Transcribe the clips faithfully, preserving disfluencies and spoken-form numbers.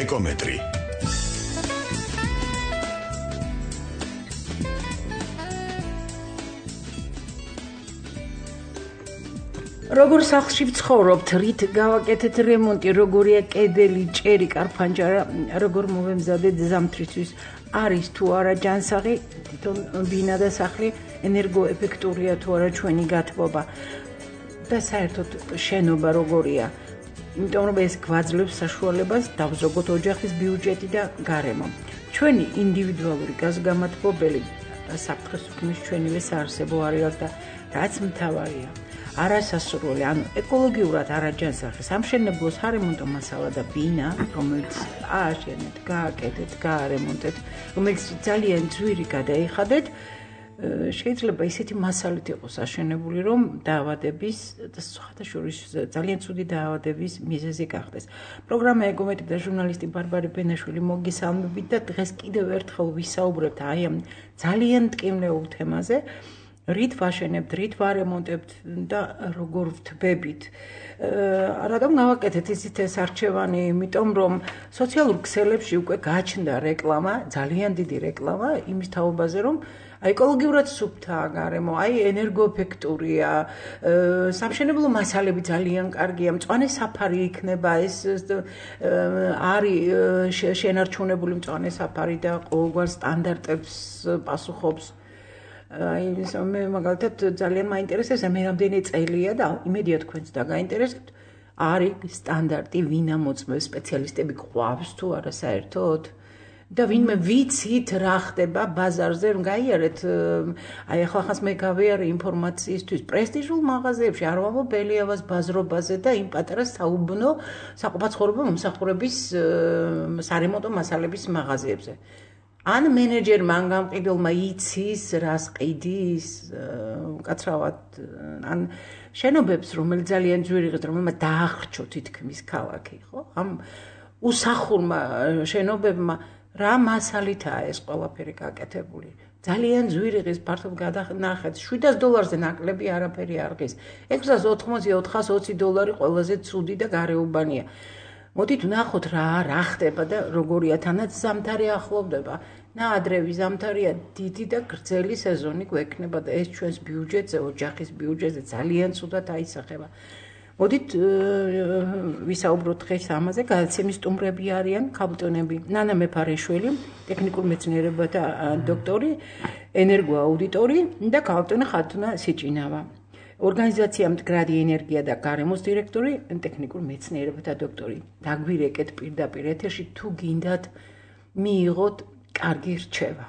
ეკომეტრი. როგორ სახლში ვცხოვრობთ, რით გავაკეთეთ რემონტი, როგორია კედელი, ჭერი, კარფანჯარა, როგორ მოვემზადეთ ზამთრისთვის, არის თუ არა ჯანსაღი, თვითონ ბინა და სახლი ენერგოეფექტურია თუ არა ჩვენი გათბობა და საერთოდ შენობა როგორია. იმიტომ რომ ეს გვაძლევს საშუალებას დავზოგოთ ოჯახის ბიუჯეტი და გარემო. ჩვენი ინდივიდუალური გაზგამათბობელი საფრთხეს უქმნის ჩვენივე საარსებო არეალს და რაც მთავარია. არასასურველი, ანუ ეკოლოგიურად არაჯანსაღი სამშენებლო სარემონტო მასალა და ბინა, რომელიც ააშენეთ, გააკეთეთ, გაარემონტეთ, რომელიც ძალიან ძვირი გადაიხადეთ, შეიძლება ისეთი მასალით იყოს აშენებული, რომ დაავადების და სხვადასხვა ძალიან ცუდი დაავადების მიზეზი გახდეს. პროგრამა ეკომეტრი და ჟურნალისტი ბარბარე ბენაშვილი მოგესალმებით და დღეს კიდევ ერთხელ ვისაუბრებთ აი ამ ძალიან მტკივნეულ თემაზე. რით ვაშენებთ, რით ვარემონტებთ და როგორ ვთბებით. რადგან გავაკეთეთ ისეთ ეს არჩევანი, იმიტომ რომ სოციალურ ქსელებში უკვე გაჩნდა რეკლამა, ძალიან დიდი რეკლამა იმის თაობაზე, რომ ეკოლოგიურად სუფთაა გარემო, აი ენერგოეფექტურია, სამშენებლო მასალები ძალიან კარგია, მწვანე საფარი იქნება, ეს არის შენარჩუნებული მწვანე საფარი და ყოველგვარ სტანდარტებს პასუხობს. მე მაგალითად ძალიან მაინტერესებს, მე რამდენი წელია და იმედია თქვენც და გაინტერესებთ, არის სტანდარტი ვინ ამოწმებს, სპეციალისტები გვყავს თუ არა საერთოდ და ვინმე ვიცით რა ხდება ბაზარზე, რომ გაიარეთ, აი ახლა ხანს მე გავიარე ინფორმაციისთვის პრესტიჟულ მაღაზიებში, არ ვამბობ ბელიავას ბაზრობაზე და იმ პატარა საუბნო საყოფაცხოვრებო მომსახურების სარემონტო მასალების მაღაზიებზე. ან მენეჯერმა ან გამყიდველმა იცის რას ყიდის, უკაცრავად ან შენობებს, რომელიც ძალიან ძვირი ღირს, რომელმა დაახრჩო თითქმის ქალაქი, ხო? ამ უსახურმა შენობებმა რა მასალითაა ეს ყველაფერი გაკეთებული? ძალიან ძვირი ღირს ფართოდ გადანახეთ, შვიდას დოლარზე ნაკლები არაფერი არ ღირს. ექვსას ოთხმოცი ოთხას ოცი დოლარი ყველაზე ცუდი და გარეუბანია. მოდით ვნახოთ რა რა ხდება და როგორია თანაც ზამთარი ახლოვდება. ნაადრევი ზამთარია, დიდი და გრძელი სეზონი გვექნება და ეს ჩვენს ბიუჯეტზე, ოჯახის ბიუჯეტზე ძალიან ცუდად აისახება. მოდით ვისაუბროთ დღეს ამაზე, გადაცემის სტუმრები არიან ქალბატონები ნანა მეფარეშვილი, ტექნიკურ მეცნიერებათა დოქტორი, ენერგოაუდიტორი და ქალბატონი ხათუნა სიჭინავა. ორგანიზაცია მდგრადი ენერგია და გარემოს დირექტორი, ტექნიკურ მეცნიერებათა დოქტორი. დაგვირეკეთ პირდაპირ ეთერში თუ გინდათ მიიღოთ კარგი რჩევა.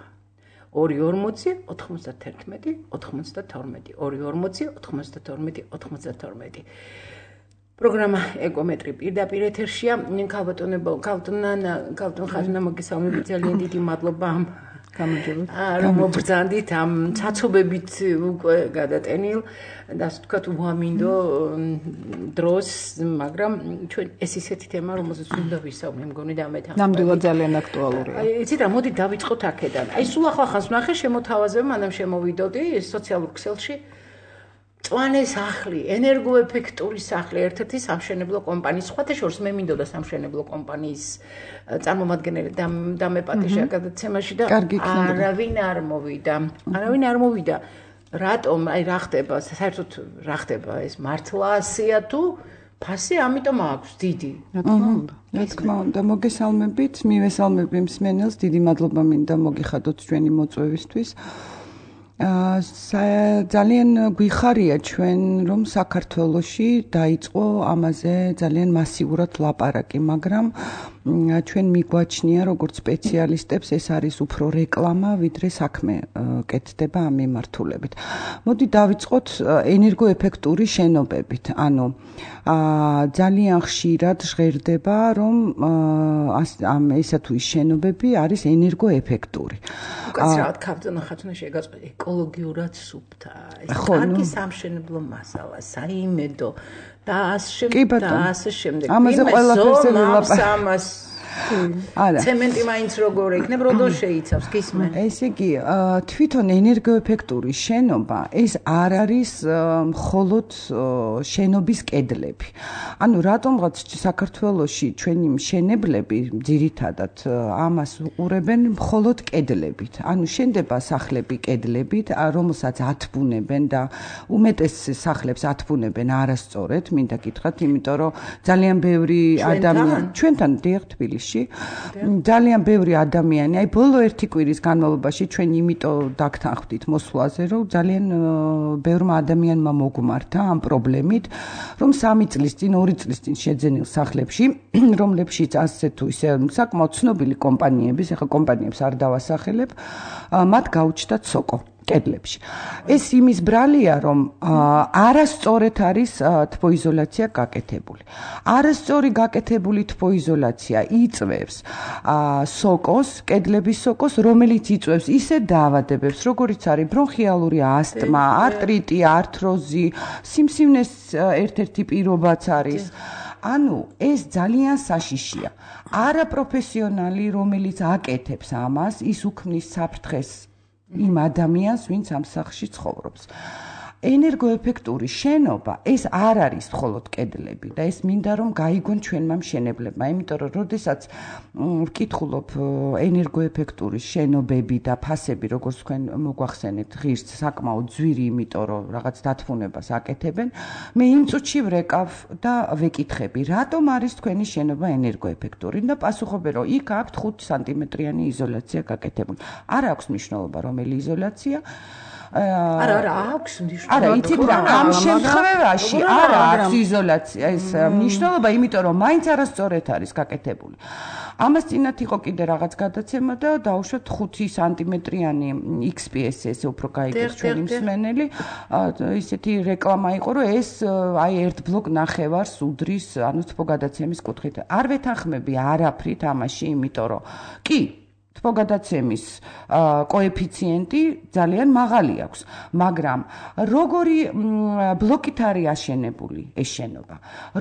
ორი ორმოცი ოთხმოცდათერთმეტი ოთხმოცდათორმეტი ორი ორმოცი ოთხმოცდათორმეტი ოთხმოცდათორმეტი პროგრამა ეკომეტრი პირდაპირ ეთერშია. ქალბატონებო, ქალბატონა, ქალბატონ ხათუნა მოგესალმებით, ძალიან დიდი მადლობა ამ გამარჯვებით. რომ მობრძანდით ამ ცაცობებით უკვე გადატენილ და ასე ვთქვათ უამინდო დროს, მაგრამ ჩვენ ეს ისეთი თემა, რომელზეც უნდა ვისაუბროთ, მგონი და მე თან. ნამდვილად ძალიან აქტუალურია. აი, იცით რა, მოდი დავიწყოთ აქედან. აი, სულ ახლა ხანს ვნახე შემოთავაზება, მანამ შემოვიდოდი სოციალურ ქსელში. მწვანე სახლი, ენერგოეფექტური სახლი, ერთ-ერთი სამშენებლო კომპანიის, სხვათა შორის მე მინდოდა სამშენებლო კომპანიის წარმომადგენელი დამეპატიჟა გადაცემაში და არავინ არ მოვიდა. არავინ არ მოვიდა. რატომ, აი რა ხდება, საერთოდ რა ხდება, ეს მართლა ასეა თუ ფასი ამიტომ აქვს დიდი. რა თქმა უნდა. რა თქმა უნდა, მოგესალმებით, მივესალმები მსმენელს, დიდი მადლობა მინდა მოგიხადოთ ჩვენი მოწვევისთვის. ძალიან გვიხარია ჩვენ, რომ საქართველოში დაიწყო ამაზე ძალიან მასიურად ლაპარაკი, მაგრამ ჩვენ მიგვაჩნია როგორც სპეციალისტებს ეს არის უფრო რეკლამა, ვიდრე საქმე კეთდება ამ მიმართულებით. მოდი დავიწყოთ ენერგოეფექტური შენობებით. ანუ ძალიან ხშირად ჟღერდება, რომ ამ ესა თუ ის შენობები არის ენერგოეფექტური. უკაცრავად ქალბატონო ხათუნა შეგაწყვეტ ეკოლოგიურად სუფთაა. ეს კარგი სამშენებლო მასალა, საიმედო და ასე შემდეგ და ასე შემდეგ. ამაზე ყველაფერზე ვილაპარაკებთ. არა. ცემენტი მაინც როგორ იქნებ, როდოს შეიცავს, გისმენ. ესე იგი, თვითონ ენერგოეფექტური შენობა ეს არ არის მხოლოდ შენობის კედლები. ანუ რატომღაც საქართველოში ჩვენი მშენებლები ძირითადად ამას უყურებენ მხოლოდ კედლებით. ანუ შენდება სახლები კედლებით, რომელსაც ათბუნებენ და უმეტეს სახლებს ათბუნებენ არასწორად, მინდა გითხრათ, იმიტომ რომ ძალიან ბევრი ადამიანი ჩვენთან დიახ თბილისში ძალიან ბევრი ადამიანი, აი ბოლო ერთი კვირის განმავლობაში ჩვენ იმიტომ დაგთანხმდით მოსვლაზე, რომ ძალიან ბევრმა ადამიანმა მოგმართა ამ პრობლემით, რომ სამი წლის წინ, ორი წლის წინ შეძენილ სახლებში, რომლებშიც ასე თუ ისე საკმაოდ ცნობილი კომპანიების, ახლა კომპანიებს არ დავასახელებ, მათ გაუჩნდათ სოკო კედლებში. ეს იმის ბრალია, რომ არასწორად არის თბოიზოლაცია გაკეთებული. არასწორი გაკეთებული თბოიზოლაცია იწვევს სოკოს, კედლების სოკოს, რომელიც იწვევს ისე დაავადებებს, როგორიც არის ბრონხიალური ასტმა, არტრიტი, ართროზი, სიმსივნეს ერთ-ერთი პირობაც არის. ანუ ეს ძალიან საშიშია. არაპროფესიონალი, რომელიც აკეთებს ამას, ის უქმნის საფრთხეს იმ ადამიანს, ვინც ამ სახლში ცხოვრობს. ენერგოეფექტური შენობა ეს არ არის მხოლოდ კედლები და ეს მინდა რომ გაიგონ ჩვენმა მშენებლებმა, იმიტომ რომ როდესაც ვკითხულობ ენერგოეფექტური შენობები და ფასები, როგორც თქვენ მოგვახსენეთ, ღირს საკმაოდ ძვირი, იმიტომ რომ რაღაც დათბუნებას აკეთებენ, მე იმ წუთში ვრეკავ და ვეკითხები, რატომ არის თქვენი შენობა ენერგოეფექტური და პასუხობენ, რომ იქ აქვთ ხუთი სანტიმეტრიანი იზოლაცია გაკეთებული. არ აქვს მნიშვნელობა რომელი იზოლაცია. არა, არა, აქვს მნიშვნელობა. არა, იცით რა, ამ შემთხვევაში არ აქვს იზოლაცია ეს მნიშვნელობა, იმიტომ რომ მაინც არასწორად არის გაკეთებული. ამას წინათ იყო კიდე რაღაც გადაცემა და დაუშვათ ხუთი სანტიმეტრიანი X P S ესე უფრო გაიგეს ჩვენი მსმენელი. ისეთი რეკლამა იყო, რომ ეს აი ერთ ბლოკ ნახევარს უდრის, ანუ თბოგადაცემის კუთხით. არ ვეთანხმები არაფრით ამაში, იმიტომ რომ კი თბოგადაცემის კოეფიციენტი ძალიან მაღალი აქვს, მაგრამ როგორი ბლოკით არის აშენებული ეს შენობა,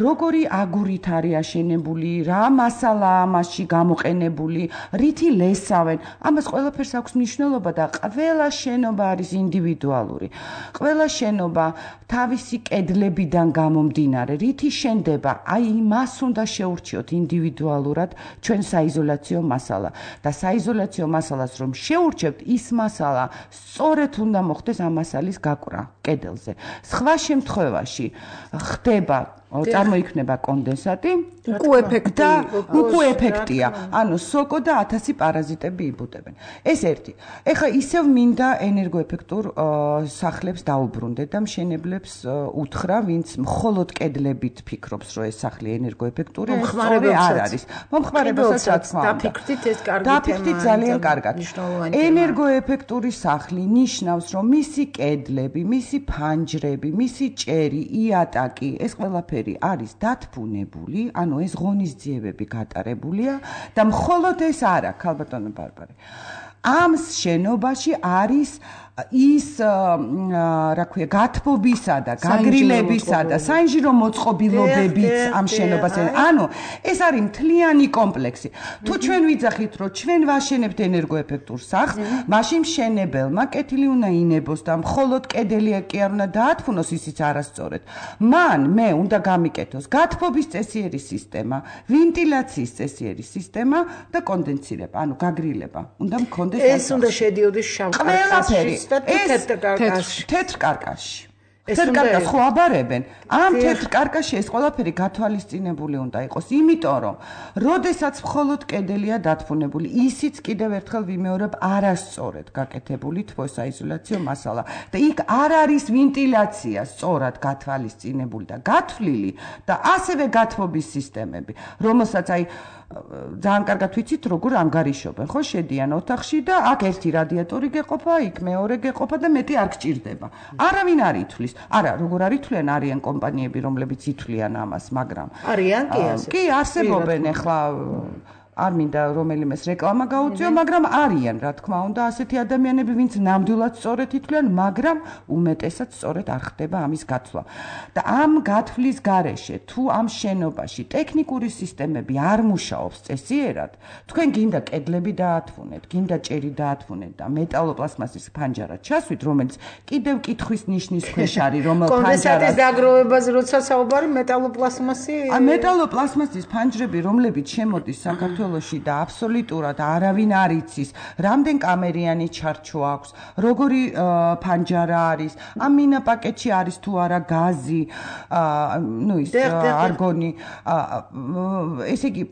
როგორი აგურით არის აშენებული, რა მასალა ამაში გამოყენებული, რითი ლესავენ, ამას ყველაფერს აქვს მნიშვნელობა და ყველა შენობა არის ინდივიდუალური. ყველა შენობა თავისი კედლებიდან გამომდინარე, რითი შენდება, აი მას უნდა შეურჩიოთ ინდივიდუალურად ჩვენ საიზოლაციო მასალა და საიზოლაციო მასალას რომ შეურჩევთ, ის მასალა სწორედ უნდა მოხდეს ამ მასალის გაკვრა კედელზე. სხვა შემთხვევაში ხდება წარმოიქმნება კონდენსატი, უკუეფექტი და უკუეფექტია. ანუ სოკო და ათასი პარაზიტები იბუდებენ. ეს ერთი. ეხლა ისევ მინდა ენერგოეფექტურ სახლებს დაუბრუნდე და მშენებლებს უთხრა, ვინც მხოლოდ კედლებით ფიქრობს, რომ ეს სახლი ენერგოეფექტურია, სწორი არ არის. მომხმარებელსაც რა თქმა უნდა. დაფიქრდით ეს კარგი თემაა. დაფიქრდით ძალიან კარგად. ენერგოეფექტური სახლი ნიშნავს, რომ მისი კედლები, მისი ფანჯრები, მისი ჭერი, იატაკი, ეს ყველაფერი არის დათბუნებული, ანუ ეს ღონისძიებები გატარებულია და მხოლოდ ეს არა, ქალბატონო ბარბარე. ამ შენობაში არის ის რა ქვია, გათბობისა და გაგრილებისა და საინჟინრო მოწყობილობებიც ამ შენობას. ანუ ეს არის მთლიანი კომპლექსი. თუ ჩვენ ვიძახით, რომ ჩვენ ვაშენებთ ენერგოეფექტურ სახლს, მაშინ მშენებელმა კეთილი უნდა ინებოს და მხოლოდ კედელი კი არ უნდა დაათბუნოს, ისიც არასწორად. მან მე უნდა გამიკეთოს გათბობის წესიერი სისტემა, ვენტილაციის წესიერი სისტემა და კონდენსირება, ანუ გაგრილება. უნდა მქონდეს ეს უნდა შედიოდეს შავ კარკასში. ეს თეთრ კარკასში. თეთრ კარკას ხო აბარებენ? ამ თეთრ კარკასში ეს ყველაფერი გათვალისწინებული უნდა იყოს, იმიტომ რომ როდესაც მხოლოდ კედელია დათბუნებული, ისიც კიდევ ერთხელ ვიმეორებ, არასწორად გაკეთებული თბოსაიზოლაციო მასალა და იქ არ არის ვენტილაცია სწორად გათვალისწინებული და გათვლილი და ასევე გათბობის სისტემები, რომელსაც აი ძალიან კარგად ვიცით, როგორ ანგარიშობენ, ხო, შედიან ოთახში და აქ ერთი რადიატორი გეყოფა, იქ მეორე გეყოფა და მეტი არ გჭირდება. არავინ არ ითვლის. არა, როგორ არ ითვლიან, არიან კომპანიები, რომლებიც ითვლიან ამას, მაგრამ არიან კი ასე. კი, არსებობენ ახლა არ მინდა რომელიმეს რეკლამა გაუწიო, მაგრამ არიან, რა თქმა უნდა, ასეთი ადამიანები, ვინც ნამდვილად სწორედ ითვლიან, მაგრამ უმეტესად სწორედ არ ხდება ამის გაცვლა. და ამ გათვლის გარეშე, თუ ამ შენობაში ტექნიკური სისტემები არ მუშაობს წესიერად, თქვენ გინდა კედლები დაათვუნეთ, გინდა ჭერი დაათვუნეთ და მეტალოპლასმასის ფანჯარა ჩასვით, რომელიც კიდევ კითხვის ნიშნის ქვეშ არის, რომელ ფანჯარას კონდენსატის დაგროვებაზე როცა საუბარი მეტალოპლასმასი მეტალოპლასმასის ფანჯრები, რომლებიც შემოდის საქართველოში და აბსოლუტურად არავინ არ იცის, რამდენ კამერიანი ჩარჩო აქვს, როგორი ფანჯარა არის, ამ მინა პაკეტში არის თუ არა გაზი, ну ის არგონი, ესე იგი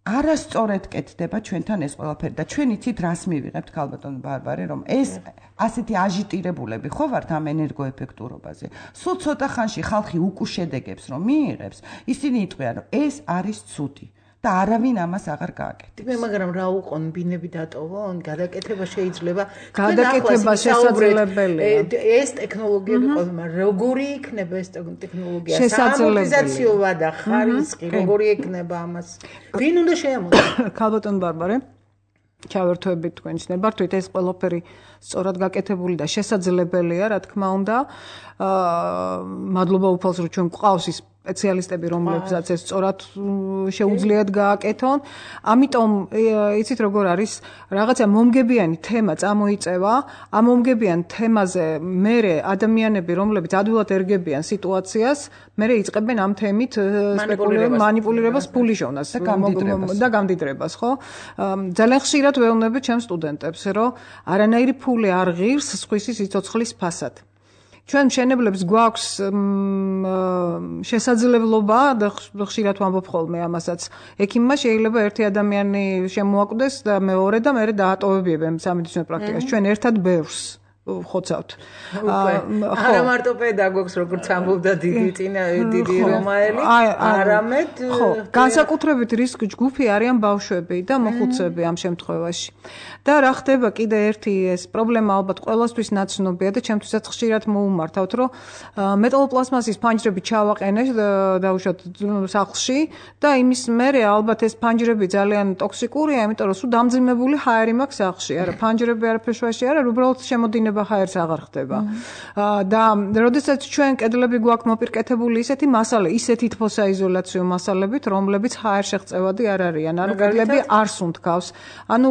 არასწორად კეთდება ჩვენთან ეს ყველაფერი და ჩვენ იცით რას მივიღებთ ქალბატონო ბარბარე, რომ ეს ასეთი აჟიტირებულები ხო ვართ ამ ენერგოეფექტურობაზე. სულ ცოტა ხანში ხალხი უკუშედეგებს რომ მიიღებს, ისინი იტყვიან რომ ეს არის ცუდი. და არავინ ამას აღარ გააკეთებს. მე მაგრამ რა უყონ ბინები დატოვონ, გადაკეთება შეიძლება. გადაკეთება შესაძლებელია. ეს ტექნოლოგიები ყოველმა როგორი იქნება ეს ტექნოლოგია? სამორტიზაციოა და ხარისხი როგორი იქნება ამას? ვინ უნდა შეამოწმოს? ქალბატონ ბარბარე ჩავერთვებით თქვენ ცნებართვით ეს ყველაფერი სწორად გაკეთებული და შესაძლებელია, რა თქმა უნდა. აა მადლობა უფალს რომ ჩვენ გვყავს ის სპეციალისტები, რომლებსაც ეს სწორად შეუძლიათ გააკეთონ. ამიტომ იცით როგორ არის, რაღაცა მომგებიანი თემა წამოიწევა, ამ მომგებიან თემაზე მერე ადამიანები, რომლებიც ადვილად ერგებიან სიტუაციას, მერე იწყებენ ამ თემით სპეკულირებას, მანიპულირებას, ფულიშოვნას და გამდიდრებას, ხო? ძალიან ხშირად ვეუბნები ჩემს სტუდენტებს, რომ არანაირი ფული არ ღირს სხვისი სიცოცხლის ფასად. ჩვენ მშენებლებს გვაქვს შესაძლებლობა და ხშირად ვამბობ ხოლმე ამასაც. ექიმმა შეიძლება ერთი ადამიანი შემოაკვდეს და მეორე და მეორე დაატოვებიებენ სამედიცინო პრაქტიკაში. ჩვენ ერთად ბევრს ხოცავთ. არა მარტო პედაგოგს, როგორც ამბობდა დიდი წინა დიდი რომაელი, არამედ ხო, განსაკუთრებით რისკ ჯგუფი არიან ბავშვები და მოხუცები ამ შემთხვევაში. და რა ხდება კიდე ერთი ეს პრობლემა ალბათ ყველასთვის ნაცნობია და ჩემთვისაც ხშირად მოუმართავთ, რომ მეტალოპლასმასის ფანჯრები ჩავაყენე დაუშვათ სახლში და იმის მერე ალბათ ეს ფანჯრები ძალიან ტოქსიკურია, იმიტომ რომ სულ დამძიმებული ჰაერი მაქვს სახლში. არა, ფანჯრები არაფერშუაში არა, უბრალოდ შემოდინება ჰაერს აღარ ხდება. და როდესაც ჩვენ კედლები გვაქვს მოპირკეთებული ისეთი მასალე, ისეთი თბოსაიზოლაციო მასალებით, რომლებიც ჰაერ შეღწევადი არ არიან. ანუ კედლები არ სუნთქავს. ანუ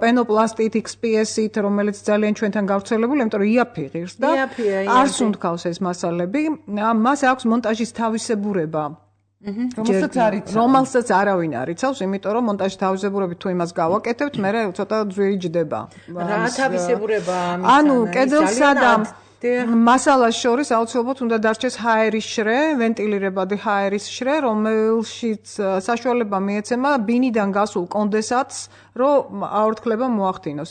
პენოპლასტით, ექს პი ეს-ით, რომელიც ძალიან ჩვენთან გავრცელებული, იმიტომ რომ იაფი ღირს და არ სუნთქავს ეს მასალები. მას აქვს მონტაჟის თავისებურება. რომელსაც არ იცავს. რომელსაც არავინ არ იცავს, იმიტომ რომ მონტაჟის თავისებურებით თუ იმას გავაკეთებთ, მერე ცოტა ძვირი ჯდება. რა თავისებურება ამის? ანუ კედელსა და მასალას შორის აუცილებლად უნდა დარჩეს ჰაერის შრე, ვენტილირებადი ჰაერის შრე, რომელშიც საშუალება მიეცემა ბინიდან გასულ კონდენსატს, რომ აორთქლება მოახდინოს.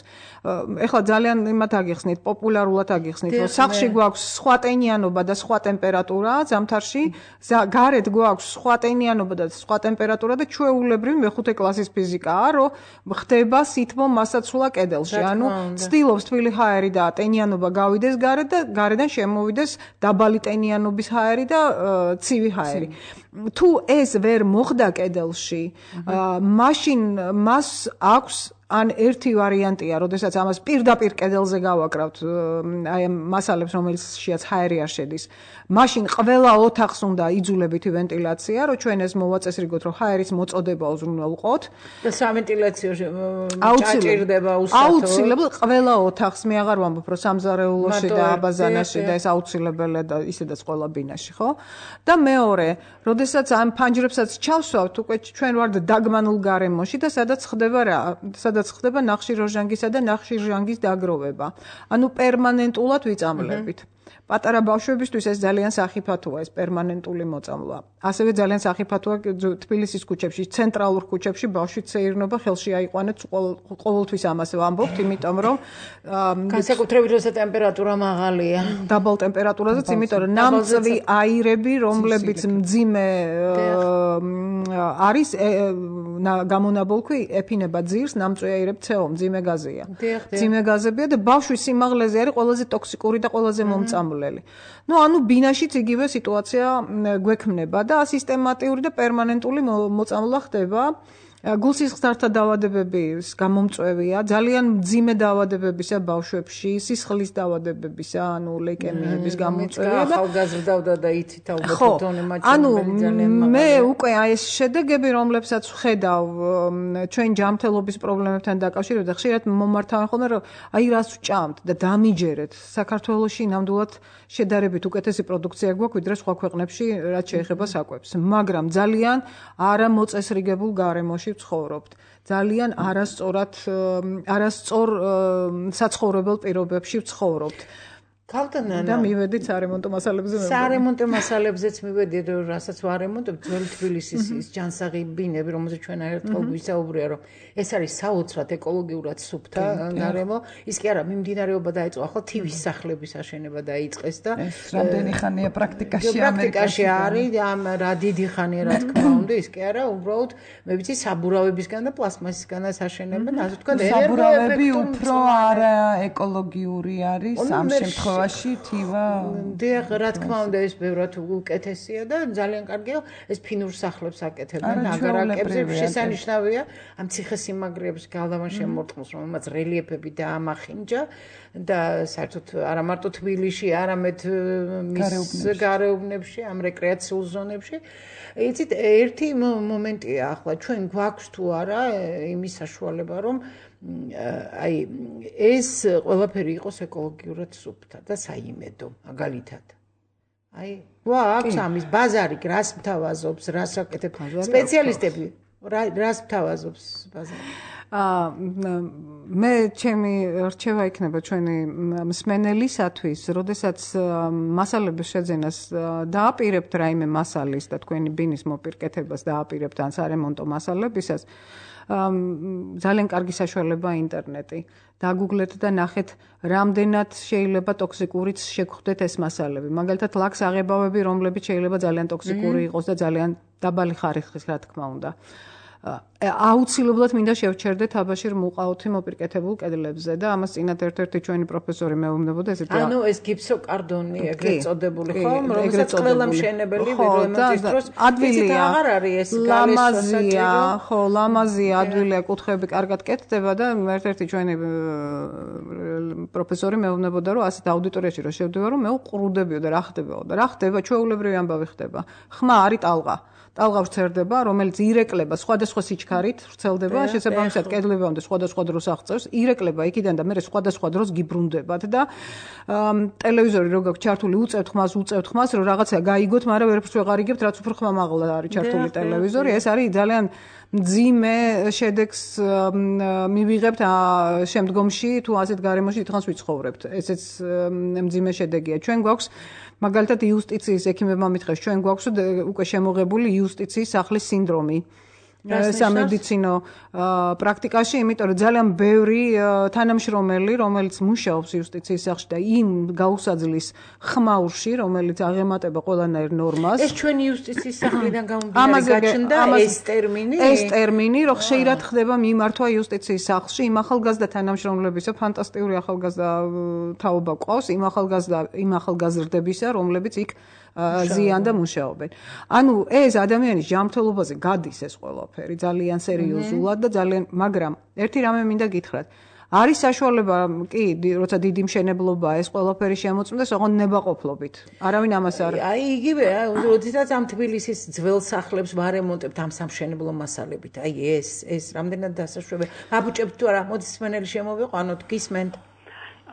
ეხლა ძალიან იმათ აგიხსნით, პოპულარულად აგიხსნით, რომ სახლში გვაქვს სხვა ტენიანობა და სხვა ტემპერატურა, ზამთარში, გარეთ გვაქვს სხვა ტენიანობა და სხვა ტემპერატურა და ჩვეულებრივი მეხუთე კლასის ფიზიკაა, რომ ხდება სითბო მასაცვლა კედელში. ანუ ცდილობს თბილი ჰაერი და ტენიანობა გავიდეს გარეთ და გარედან შემოვიდეს დაბალი ტენიანობის ჰაერი და ცივი ჰაერი. თუ ეს ვერ მოხდა კედელში, მაშინ მას აქვს ან ერთი ვარიანტია, როდესაც ამას პირდაპირ კედელზე გავაკრავთ აი ამ მასალებს, რომელშიც ჰაერი არ შედის. მაშინ ყველა ოთახს უნდა იძულებითი ვენტილაცია, რომ ჩვენ ეს მოვაწესრიგოთ, რომ ჰაერის მოწოდება უზრუნველყოთ და სამვენტილაციო ჭაჭირდება უსათო. აუცილებლად ყველა ოთახს, მე აღარ ვამბობ, რომ სამზარეულოში და აბაზანაში და ეს აუცილებელია და ისედაც ყველა ბინაში, ხო? და მეორე, როდესაც ამ ფანჯრებსაც ჩავსვავთ, უკვე ჩვენ ვართ დაგმანულ გარემოში და სადაც ხდება რა? სადაც ხდება ნახშირორჟანგისა და ნახშირჟანგის დაგროვება. ანუ პერმანენტულად ვიწამლებით. პატარა ბავშვებისთვის ეს ძალიან სახიფათოა, ეს პერმანენტული მოწამვლა. ასევე ძალიან სახიფათოა თბილისის ქუჩებში, ცენტრალურ ქუჩებში ბავშვი ცეირნობა ხელში აიყვანეთ, ყოველთვის ამას ვამბობთ, იმიტომ რომ განსაკუთრებით როცა ტემპერატურა მაღალია. დაბალ ტემპერატურაზეც, იმიტომ რომ ნამწვი აირები, რომლებიც მძიმე არის გამონაბოლქვი, ეფინება ძირს, ნამწვი აირები ცეო, მძიმე გაზია. მძიმე გაზებია და ბავშვის სიმაღლეზე არის ყველაზე ტოქსიკური და ყველაზე მომწამლელი. ნუ ანუ ბინაშიც იგივე სიტუაცია გვექმნება და სისტემატიური და პერმანენტული მოწამვლა ხდება. გულსისხლთა დაავადებების გამომწვევია, ძალიან მძიმე დაავადებებისა ბავშვებში, სისხლის დაავადებებისა, ანუ ლეიკემიების გამომწვევია და ახალგაზრდავდა და იცით ალბათ თონე მაჩვენებელი ძალიან მაღალია. ანუ მე უკვე აი ეს შედეგები, რომლებსაც ვხედავ ჩვენ ჯანმრთელობის პრობლემებთან დაკავშირებით და ხშირად მომართავენ ხოლმე, რომ აი რას ვჭამთ და დამიჯერეთ. საქართველოში ნამდვილად შედარებით უკეთესი პროდუქცია გვაქვს, ვიდრე სხვა ქვეყნებში, რაც შეეხება საკვებს. მაგრამ ძალიან არამოწესრიგებულ გარემოში ვცხოვრობთ. ძალიან არასწორად არასწორ საცხოვრებელ პირობებში ვცხოვრობთ. ქალთანა და მივედით სარემონტო მასალებზე მე. სარემონტო მასალებზეც მივედით, რასაც ვარემონტებ, ძველი თბილისის ის ჯანსაღი ბინები, რომელზეც ჩვენ ერთხელ ვისაუბრია, რომ ეს არის საოცრად ეკოლოგიურად სუფთა გარემო. ის კი არა, მიმდინარეობა დაიწყო, ახლა თივის სახლების აშენება დაიწყეს და რამდენი ხანია პრაქტიკაში ამერიკაში არის, ამ რა დიდი ხანია, რა თქმა უნდა, ის კი არა, უბრალოდ მე ვიცი საბურავებისგან და პლასმასისგანაც აშენებენ, ასე ვთქვათ, საბურავები უფრო არა ეკოლოგიური არის ამ შემთხვევაში თივა დიახ, რა თქმა უნდა, ეს ბევრად უკეთესია და ძალიან კარგია, ეს ფინურ სახლებს აკეთებენ, აგარაკებზე შესანიშნავია ამ ციხესიმაგრეებს გალავან შემორტყმოს, რომელმაც რელიეფები დაამახინჯა და საერთოდ არა მარტო თბილისში, არამედ მის გარეუბნებში, ამ რეკრეაციულ ზონებში. იცით, ერთი მომენტია ახლა ჩვენ გვაქვს თუ არა იმის საშუალება, რომ აი ეს ყველაფერი იყოს ეკოლოგიურად სუფთა და საიმედო, მაგალითად. აი, გვაქვს ამის ბაზარი, რას მთავაზობს, რას აკეთებს სპეციალისტები, რას მთავაზობს ბაზარი? აა მე ჩემი რჩევა იქნება ჩვენი მსმენელისათვის, როდესაც მასალების შეძენას დააპირებთ რაიმე მასალის და თქვენი ბინის მოპირკეთებას დააპირებთ ან სარემონტო მასალებისას, ძალიან კარგი საშუალებაა ინტერნეტი. დაგუგლეთ და ნახეთ, რამდენად შეიძლება ტოქსიკურიც შეგხვდეთ ეს მასალები. მაგალითად, ლაქს აღებავები, რომლებიც შეიძლება ძალიან ტოქსიკური იყოს და ძალიან დაბალი ხარისხის, რა თქმა უნდა. აუცილებლად მინდა შევჩერდეთ აბაშირ მუყაოთი მოპირკეთებულ კედლებზე და ამას წინათ ერთ-ერთი ჩვენი პროფესორი მეუბნებოდა ესეთი. ანუ ეს გიფსოკარდონი ეგრეთ წოდებული ხო, რომელსაც ყველა მშენებელი რემონტის დროს ადვილია. აღარ არის ეს ლამაზია, ხო, ლამაზია, ადვილია, კუთხეები კარგად კეთდება და ერთ-ერთი ჩვენი პროფესორი მეუბნებოდა, რომ ასეთ აუდიტორიაში რო შევდივარ, რომ მე უყრუდებიო და რა ხდებაო და რა ხდება, ჩვეულებრივი ამბავი ხდება. ხმა არის ტალღა. ტალღა ვრცელდება, რომელიც ირეკლება სხვადასხვა სიჩქარით, ვრცელდება, შესაბამისად კედლება უნდა სხვადასხვა დროს აღწევს, ირეკლება იქიდან და მე სხვადასხვა დროს გიბრუნდებათ და ტელევიზორი რო გაქვს ჩართული, უწევთ ხმას, უწევთ ხმას, რომ რაღაცა გაიგოთ, მაგრამ ვერაფერს ვეღარ იგებთ, რაც უფრო ხმა მაღლა არის ჩართული ტელევიზორი, ეს არის ძალიან მძიმე შედეგს მივიღებთ შემდგომში, თუ ასეთ გარემოში დიდხანს ვიცხოვრებთ. ესეც მძიმე შედეგია. ჩვენ გვაქვს მაგალითად იუსტიციის ექიმებმა მითხრეს, ჩვენ გვაქვს უკვე შემოღებული იუსტიციის სახლის სინდრომი. სამედიცინო პრაქტიკაში, იმიტომ რომ ძალიან ბევრი თანამშრომელი, რომელიც მუშაობს იუსტიციის სახლში და იმ გაუსაძლის ხმაურში, რომელიც აღემატება ყველანაირ ნორმას. ეს ჩვენი იუსტიციის სახლიდან გამომდინარე გაჩნდა ეს ტერმინი? ეს ტერმინი, რომ ხშირად ხდება მიმართვა იუსტიციის სახლში, იმ ახალგაზრდა თანამშრომლებისა, ფანტასტიკური ახალგაზრდა თაობა ყავს, იმ ახალგაზრდა იმ ახალგაზრდებისა, რომლებიც იქ ზიან და მუშაობენ. ანუ ეს ადამიანის ჯანმრთელობაზე გადის ეს ყველაფერი ძალიან სერიოზულად და ძალიან, მაგრამ ერთი რამე მინდა გითხრათ. არის საშუალება კი, როცა დიდი მშენებლობაა ეს ყველაფერი შემოწმდეს, ოღონდ ნებაყოფლობით. არავინ ამას არ. აი იგივე, როდესაც ამ თბილისის ძველ სახლებს ვარემონტებთ ამ სამშენებლო მასალებით. აი ეს, ეს რამდენად დასაშვებია. აბუჭებთ თუ არა, მოდი სმენელი შემოვიყვანოთ, გისმენთ.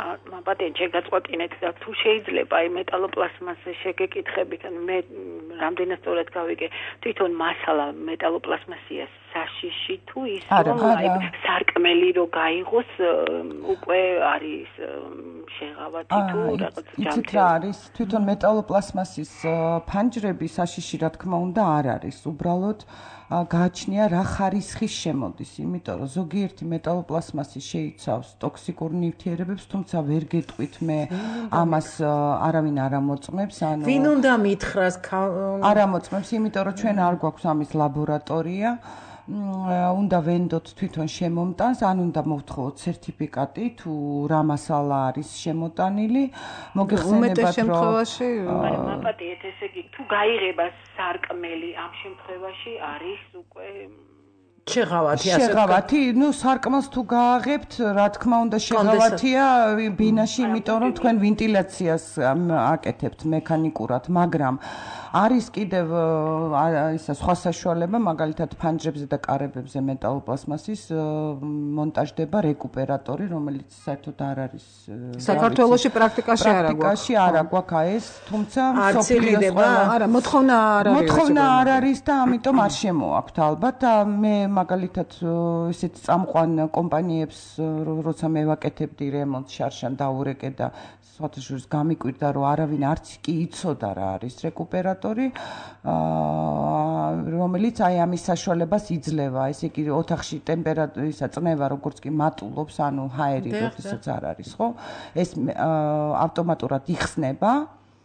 მაპატენ შეგაწყვეტინეთ და თუ შეიძლება აი მეტალოპლასმასზე შეგეკითხებით, ანუ მე რამდენად სწორად გავიგე, თვითონ მასალა მეტალოპლასმასია საშიში თუ ის რომ აი სარკმელი რო გაიღოს უკვე არის შეღავათი თუ რაღაც ჯამთელი. იცით რა არის, თვითონ მეტალოპლასმასის ფანჯრები საშიში რა თქმა უნდა არ არის, უბრალოდ გააჩნია რა ხარისხის შემოდის, იმიტომ რომ ზოგიერთი მეტალოპლასმასი შეიცავს ტოქსიკურ ნივთიერებებს, თუმცა ვერ გეტყვით მე ამას არავინ არ ამოწმებს, ანუ ვინ უნდა მითხრას არ ამოწმებს, იმიტომ რომ ჩვენ არ გვაქვს ამის ლაბორატორია. უნდა ვენდოთ თვითონ შემომტანს, ან უნდა მოვთხოვოთ სერტიფიკატი თუ რა მასალა არის შემოტანილი. მოგეხსენებათ რომ მაპატიეთ, ესე იგი თუ გაიღება სარკმელი ამ შემთხვევაში არის უკვე შეღავათი ასე შეღავათი, ну სარკმელს თუ გააღებთ, რა თქმა უნდა შეღავათია ბინაში, იმიტომ რომ თქვენ ვენტილაციას აკეთებთ მექანიკურად, მაგრამ არის კიდევ ისა სხვა საშუალება, მაგალითად ფანჯრებზე და კარებებზე მეტალოპლასმასის მონტაჟდება რეკუპერატორი, რომელიც საერთოდ არ არის საქართველოში პრაქტიკაში არ აქვს. პრაქტიკაში არ აქვს ეს, თუმცა მსოფლიოს არა, მოთხოვნა არ არის. მოთხოვნა არ არის და ამიტომ არ შემოაქვთ ალბათ და მე მაგალითად ესეთ წამყვან კომპანიებს როცა მე ვაკეთებდი რემონტს შარშან დაურეკე და სხვათაშორის გამიკვირდა რომ არავინ არც კი იცოდა რა არის რეკუპერატორი რომელიც აი ამის საშუალებას იძლევა ესე იგი ოთახში ტემპერატურისა წნევა როგორც კი მატულობს ანუ ჰაერი როდესაც არ არის ხო ეს ავტომატურად იხსნება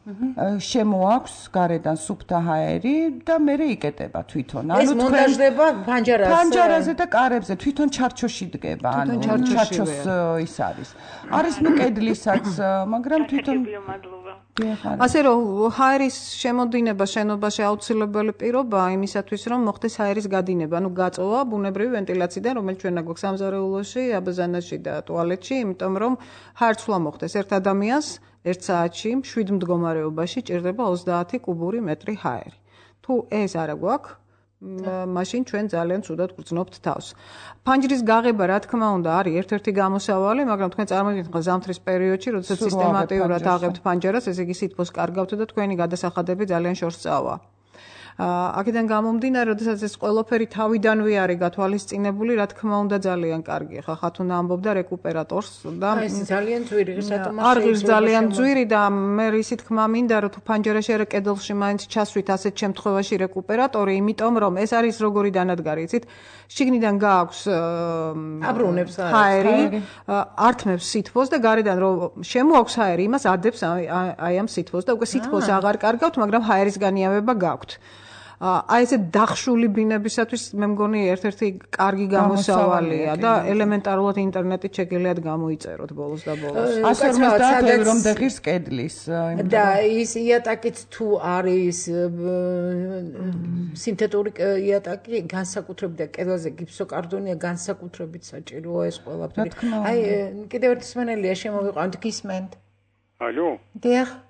შემოაქვს გარედან სუფთა ჰაერი და მე იკეტება თვითონ. ანუ ეს მონტაჟდება ფანჯარაზე. ფანჯარაზე და კარებზე თვითონ ჩარჩოში დგება, ანუ ჩარჩოს ის არის. არის ნუ კედლისაც, მაგრამ თვითონ ასე რომ ჰაერის შემოდინება შენობაში აუცილებელი პირობაა იმისათვის რომ მოხდეს ჰაერის გადინება, ანუ გაწოვა ბუნებრივი ვენტილაციიდან, რომელიც ჩვენა გვაქვს სამზარეულოში, აბაზანაში და ტუალეტში, იმიტომ რომ ჰაერცვლა მოხდეს ერთ ადამიანს ერთ საათში შვიდ მდგომარეობაში ჭირდება ოცდაათი კუბური მეტრი ჰაერი. თუ ეს არა გვაქვს, მაშინ ჩვენ ძალიან ცუდად გვგრძნობთ თავს. ფანჯრის გაღება, რა თქმა უნდა, არის ერთ-ერთი გამოსავალი, მაგრამ თქვენ წარმოიდგინეთ ხო ზამთრის პერიოდში, როდესაც სისტემატიურად აღებთ ფანჯარას, ესე იგი სითბოს კარგავთ და თქვენი გადასახადები ძალიან შორს წავა. აქედან გამომდინარე, როდესაც ეს ყველაფერი თავიდანვე არის გათვალისწინებული, რა თქმა უნდა ძალიან კარგია. ხა ხათუნა ამბობდა რეკუპერატორს და ეს ძალიან ძვირი რატომ არ ღირს ძალიან ძვირი და მე ისი თქმა მინდა რომ თუ ფანჯარაში არა კედელში მაინც ჩასვით ასეთ შემთხვევაში რეკუპერატორი, იმიტომ რომ ეს არის როგორი დანადგარი, იცით? შიგნიდან გააქვს აბრუნებს ჰაერი, ართმევს სითბოს და გარედან რომ შემოაქვს ჰაერი, იმას ადებს აი ამ სითბოს და უკვე სითბოს აღარ კარგავთ, მაგრამ ჰაერის განიავება გაქვთ. აი ესე დახშული ბინებისათვის მე მგონი ერთ-ერთი კარგი გამოსავალია და ელემენტარულად ინტერნეტით შეგიძლიათ გამოიწეროთ ბოლოს და ბოლოს. ასე ორმოცდაათი რომ დაღირს კედლის. და ის იატაკიც თუ არის სინთეტური იატაკი, განსაკუთრებით და კედელზე გიფსოკარდონია, განსაკუთრებით საჭიროა ეს ყველაფერი. აი კიდევ ერთი სმენელია შემოვიყვანთ გისმენთ. ალო? დიახ.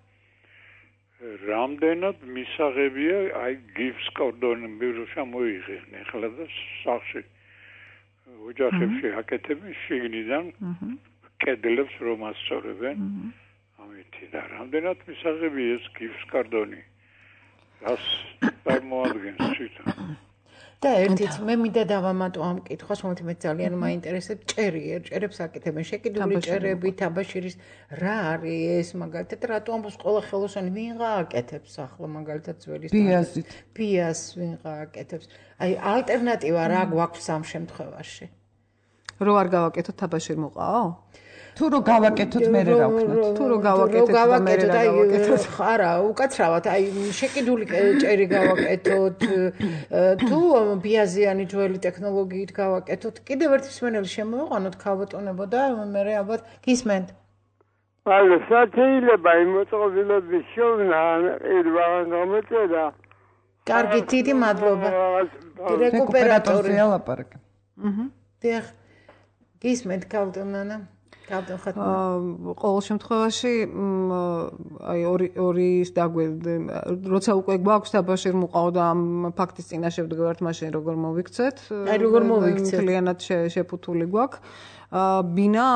რამდენად მისაღებია აი გიფს კორდონი ბიროშა მოიღენ ახლა და სახში ოჯახებში აკეთებს შიგნიდან კედლებს რომ ასწორებენ ამითი და რამდენად მისაღებია ეს გიფს კორდონი რას წარმოადგენს თვითონ და ერთიც მე მინდა დავამატო ამ კითხვას, რომელიც მე ძალიან მაინტერესებს, ჭერიერ, ჭერებს აკეთებენ, შეკიდული ჭერები, თაბაშირის, რა არის ეს მაგალითად, რატო ამბობს ყველა ხელოსანი ვინღა აკეთებს ახლა მაგალითად ძველი ბიაზით. ბიას ვინღა აკეთებს. აი ალტერნატივა რა გვაქვს ამ შემთხვევაში? რო არ გავაკეთოთ თაბაშირ მოყაო? თუ რო გავაკეთოთ მე რა ვქნათ თუ რო გავაკეთოთ და მე რა გავაკეთოთ არა უკაცრავად აი შეკიდული ჭერი გავაკეთოთ თუ ბიაზიანი ძველი ტექნოლოგიით გავაკეთოთ კიდევ ერთი სმენელი შემოვაყანოთ ქალბატონებო და მე ალბათ გისმენთ ალო შეიძლება იმოწყობილების შოვნა ირვან გამოწერა კარგი დიდი მადლობა რეკუპერატორზე ალაპარაკე აჰა დიახ გისმენთ ქალბატონანა ყოველ შემთხვევაში აი ორი ორის დაგვე როცა უკვე გვაქვს თაბაშირ მოყავ და ამ ფაქტის წინაშე ვდგავართ მაშინ როგორ მოვიქცეთ აი როგორ მოვიქცეთ მთლიანად შეფუთული გვაქვს ბინა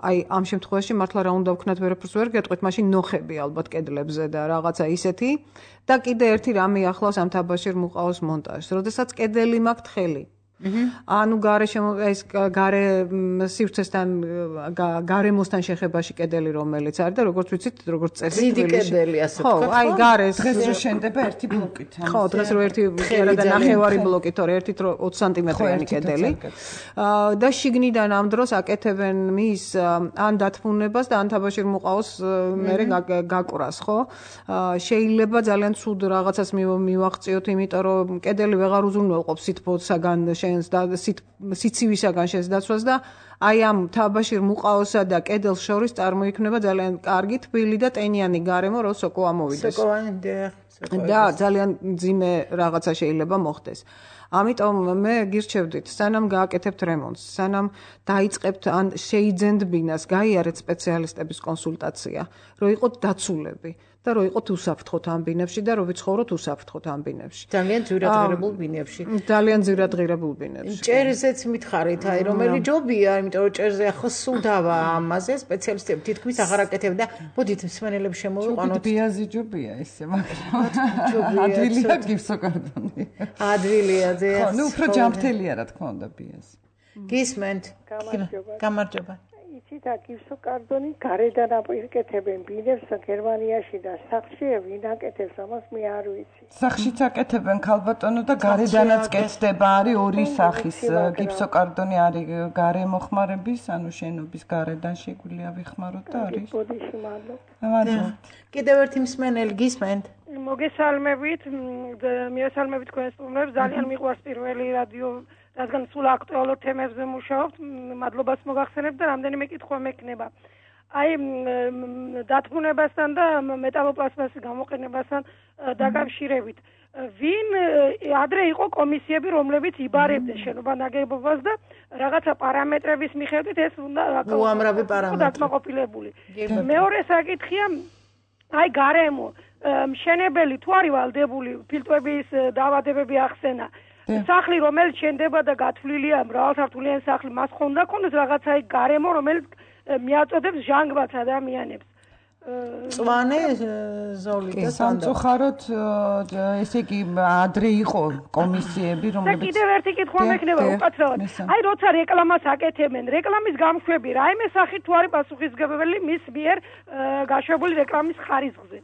აი ამ შემთხვევაში მართლა რა უნდა ვქნათ ვერაფერს ვერ გეტყვით მაშინ ნოხები ალბათ კედლებზე და რაღაცა ისეთი და კიდე ერთი რამე ახლავს ამ თაბაშირ მოყავს მონტაჟს როდესაც კედელი მაქვს თხელი ანუ გარე ეს გარე სივრცესთან გარემოსთან შეხებაში კედელი რომელიც არის და როგორც ვიცით როგორც წესი დიდი კედელი ასე ხო აი გარეს დღეს რო შენდება ერთი ბლოკით ხო დღეს რო ერთი არა და ნახევარი ბლოკით თორე ერთით რო ოცი სანტიმეტრიანი კედელი და შიგნიდან ამ დროს აკეთებენ მის ან დათმუნებას და ან თაბაშირ მოყავს მერე გაკვრას ხო შეიძლება ძალიან ცუდ რაღაცას მივაღწიოთ იმიტომ რომ კედელი ვეღარ უზრუნველყოფს სითბოსაგან შენს და სიცივისაგან შენს დაცვას და აი ამ თაბაშირ მუყაოსა და კედელს შორის წარმოიქმნება ძალიან კარგი თბილი და ტენიანი გარემო, რო სოკო ამოვიდეს. სოკოვანი და ძალიან ძიმე რაღაცა შეიძლება მოხდეს. ამიტომ მე გირჩევდით, სანამ გააკეთებთ რემონტს, სანამ დაიწყებთ ან შეიძენთ ბინას, გაიარეთ სპეციალისტების კონსულტაცია, რომ იყოთ დაცულები და რომ იყოთ უსაფრთხოდ ამ ბინებში და რომ ვიცხოვროთ უსაფრთხოდ ამ ბინებში. ძალიან ძვირადღირებულ ბინებში. ძალიან ძვირადღირებულ ბინებში. ჭერზეც მითხარით, აი რომელი ჯობია, იმიტომ რომ ჭერზე ახლა სულ დავა ამაზე სპეციალისტები თითქმის აღარ აკეთებენ და მოდით მსმენელებს შემოვიყვანოთ. ბიაზი ჯობია ესე, მაგრამ ადვილია გიფსოკარდონი. ადვილია ზე. ხო, ნუ უფრო ჯამრთელია რა თქმა უნდა ბიაზი. გისმენთ. გამარჯობა. იცით, გიფსოკარდონი გარედან აკეთებენ ბინებს გერმანიაში და სახლში ვინ აკეთებს ამას მე არ ვიცი. სახლშიც აკეთებენ ქალბატონო და გარედანაც კეთდება, არის ორი სახის გიფსოკარდონი, არის გარემოხმარების, ანუ შენობის გარედან შეგვიძლია ვიხმაროთ და არის. ბოდიში მადლობა. მადლობა. კიდევ ერთი მსმენელი გისმენთ. მოგესალმებით, მიესალმებით თქვენს სტუმრებს, ძალიან მიყვარს პირველი რადიო რადგან სულ აქტუალურ თემებზე მუშაობთ, მადლობას მოგახსენებთ და რამდენიმე კითხვა მექნება. აი დათმუნებასთან და მეტალოპლასტმასის გამოყენებასთან დაკავშირებით. ვინ ადრე იყო კომისიები, რომლებიც იბარებდნენ შენობა ნაგებობას და რაღაცა პარამეტრების მიხედვით ეს უნდა უამრავი პარამეტრი დაკმაყოფილებული. მეორე საკითხია, აი გარემო, მშენებელი თუ არის ვალდებული ფილტრების დაავადებები ახსენა. სახლი რომელიც შენდება და გათვლილია მრავალსართულიანი სახლი, მას ხონდა ქონდეს რაღაცა გარემო, რომელიც მიაწოდებს ჟანგბადს ადამიანებს. წვანე ზოლი და სამწუხაროდ ესე იგი ადრე იყო კომისიები, რომლებიც და კიდევ ერთი კითხვა მექნება უკაცრავად. აი როცა რეკლამას აკეთებენ, რეკლამის გამშვები რაიმე სახით თუ არის პასუხისმგებელი მის მიერ გაშვებული რეკლამის ხარისხზე.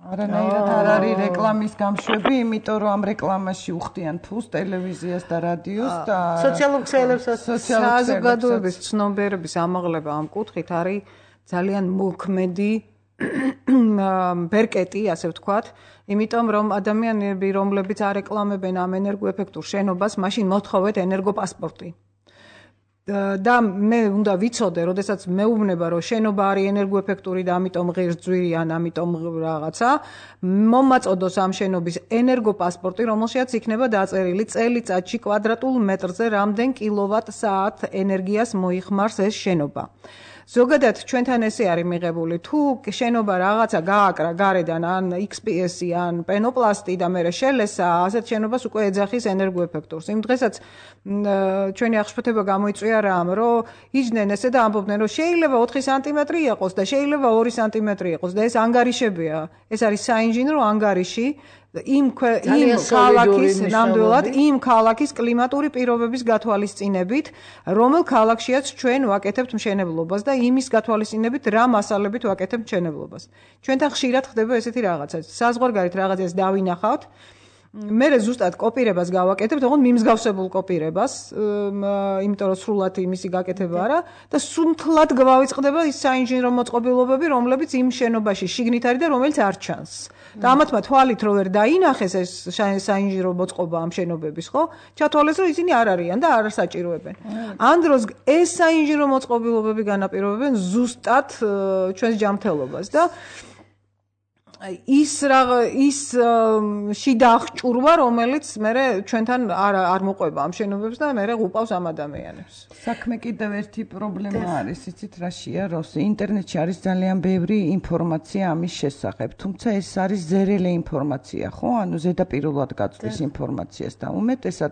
არანაირად არ არის რეკლამის გამშვები, იმიტომ რომ ამ რეკლამაში უხდიან ფულს ტელევიზიას და რადიოს და სოციალურ ქსელებსაც საზოგადოების ცნობიერების ამაღლება ამ კუთხით არის ძალიან მოქმედი ბერკეტი, ასე ვთქვათ, იმიტომ რომ ადამიანები, რომლებიც არეკლამებენ ამ ენერგოეფექტურ შენობას, მაშინ მოთხოვეთ ენერგოპასპორტი. და მე უნდა ვიცოდე, როდესაც მეუბნება, რომ შენობა არის ენერგოეფექტური და ამიტომ ღირს ძვირი ან ამიტომ რაღაცა, მომაწოდოს ამ შენობის ენერგოპასპორტი, რომელშიც იქნება დაწერილი წელიწადში კვადრატულ მეტრზე რამდენ კილოვატ-საათ ენერგიას მოიხმარს ეს შენობა. ზოგადად ჩვენთან ესე არის მიღებული, თუ შენობა რაღაცა გააკრა გარედან ან ექს პი ესი ან პენოპლასტი და მერე შელესა, ასეთ შენობას უკვე ეძახის ენერგოეფექტურს. იმ დღესაც ჩვენი აღშფოთება გამოიწვია რამ, რომ იჯდნენ ესე და ამბობდნენ, რომ შეიძლება ოთხი სანტიმეტრი იყოს და შეიძლება ორი სანტიმეტრი იყოს და ეს ანგარიშებია. ეს არის საინჟინრო ანგარიში. იმ იმ ქალაქის ნამდვილად იმ ქალაქის კლიმატური პირობების გათვალისწინებით, რომელ ქალაქშიაც ჩვენ ვაკეთებთ მშენებლობას და იმის გათვალისწინებით რა მასალებით ვაკეთებთ მშენებლობას. ჩვენთან ხშირად ხდება ესეთი რაღაცა. საზღვარგარეთ რაღაცას დავინახავთ, მე ზუსტად კოპირებას გავაკეთებთ, თქო მიმსგავსებულ კოპირებას, იმიტომ რომ სრულად იმისი გაკეთება არა და სუნთლად გავავიწყდება ის საინჟინრო მოწყობილობები, რომლებიც იმ შენობაში შიგნით არის და რომელიც არ ჩანს. და ამათმა თვალით რო ვერ დაინახეს ეს საინჟინრო მოწყობა ამ შენობების, ხო? ჩათვალეს რომ ისინი არ არიან და არ საჭიროებენ. ამ დროს ეს საინჟინრო მოწყობილობები განაპირობებენ ზუსტად ჩვენს ჯანმრთელობას და ის რა ის შიდა აღჭურვა, რომელიც მე ჩვენთან არ არ მოყვება ამ შენობებს და მე უყავს ამ ადამიანებს. საქმე კიდევ ერთი პრობლემა არის, იცით რაშია, რომ ინტერნეტში არის ძალიან ბევრი ინფორმაცია ამის შესახებ, თუმცა ეს არის ზერელი ინფორმაცია, ხო? ანუ ზედაპირულად გაწვდის ინფორმაციას და უმეტესად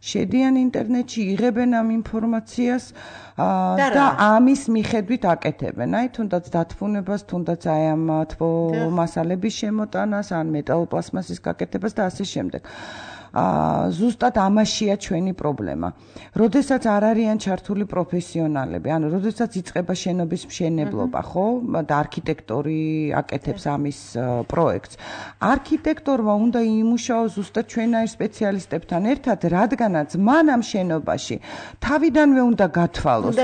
შედიან ინტერნეტში, იღებენ ამ ინფორმაციას და ამის მიხედვით აკეთებენ. აი თუნდაც დათმუნებას, თუნდაც აი ამ თბო მასალების შემოტანას, ან მეტალოპლასტმასის გაკეთებას და ასე შემდეგ. აა ზუსტად ამაშია ჩვენი პრობლემა. როდესაც არ არიან ჩართული პროფესიონალები, ანუ როდესაც იწყება შენობის მშენებლობა, ხო? და არქიტექტორი აკეთებს ამის პროექტს. არქიტექტორმა უნდა იმუშაოს ზუსტად ჩვენაირ სპეციალისტებთან ერთად, რადგანაც მან ამ შენობაში თავიდანვე უნდა გათვალოს.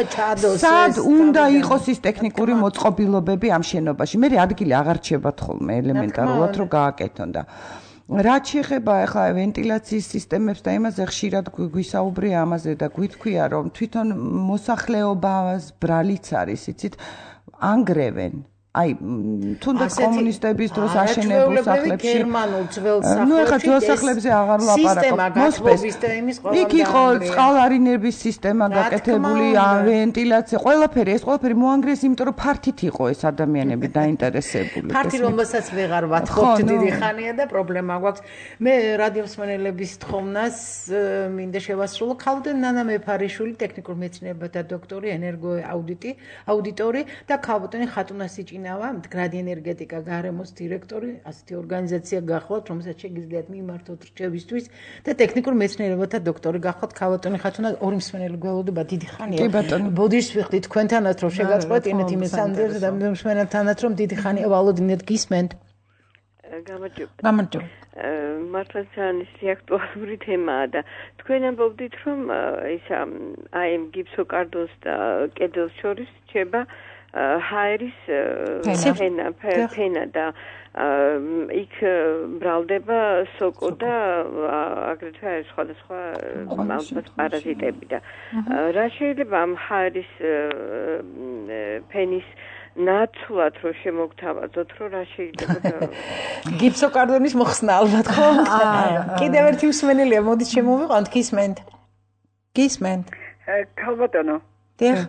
სად უნდა იყოს ის ტექნიკური მოწყობილობები ამ შენობაში. მე ადგილი აღარ რჩებათ ხოლმე ელემენტარულად რომ გააკეთონ და რაც შეეხება ახლა ვენტილაციის სისტემებს და იმაზე ხშირად გვისაუბრია ამაზე და გვითქვია რომ თვითონ მოსახლეობას ბრალიც არის, იცით, ანგრევენ. აი, თუნდაც კომუნისტების დროს აშენებულ სახლებში გერმანულ ძველ სახლებში ნუ ახლა ძველ სახლებზე აღარ ვლაპარაკობ. მოსპეს და იმის ყველა იქ იყო წყალარინების სისტემა გაკეთებული, ვენტილაცია, ყველაფერი, ეს ყველაფერი მოანგრიეს, იმიტომ რომ ფართით იყო ეს ადამიანები დაინტერესებული. ფართი რომელსაც ვეღარ ვათხოვთ დიდი ხანია და პრობლემა გვაქვს. მე რადიომსმენელების თხოვნას მინდა შევასრულო. ქალბატონი ნანა მეფარიშვილი, ტექნიკურ მეცნიერებათა დოქტორი, ენერგოაუდიტი, აუდიტორი და ქალბატონი ხატუნა სიჭი მდგრადი ენერგეტიკა გარემოს დირექტორი, ასეთი ორგანიზაცია გახლავთ, რომელსაც შეგიძლიათ მიმართოთ რჩევისთვის და ტექნიკურ მეცნიერებათა დოქტორი გახლავთ. ქალბატონი ხატუნა ორი მსმენელი გველოდება დიდი ხანია. ბოდიშს ვიხდი თქვენთანაც რომ შეგაწყვეტინეთ იმის სანდერს და მსმენელთანაც რომ დიდი ხანია ვალოდინეთ გისმენთ. გამარჯობა. გამარჯობა. მართლა ძალიან ისე აქტუალური თემაა და თქვენ ამბობდით რომ ისა აი ამ გიფსოკარდონს და კედელს შორის რჩება ჰაერის ფენა ფენა და იქ ბრალდება სოკო და აგრეთვე სხვადასხვა ალბათ პარაზიტები და რა შეიძლება ამ ჰაერის ფენის ნაცვლად რომ შემოგთავაზოთ რომ რა შეიძლება გიფსოკარდონის მოხსნა ალბათ ხო? კიდევ ერთი მსმენელია, მოდით შემოვიყვანთ, გისმენთ. გისმენთ. ქალბატონო. დიახ.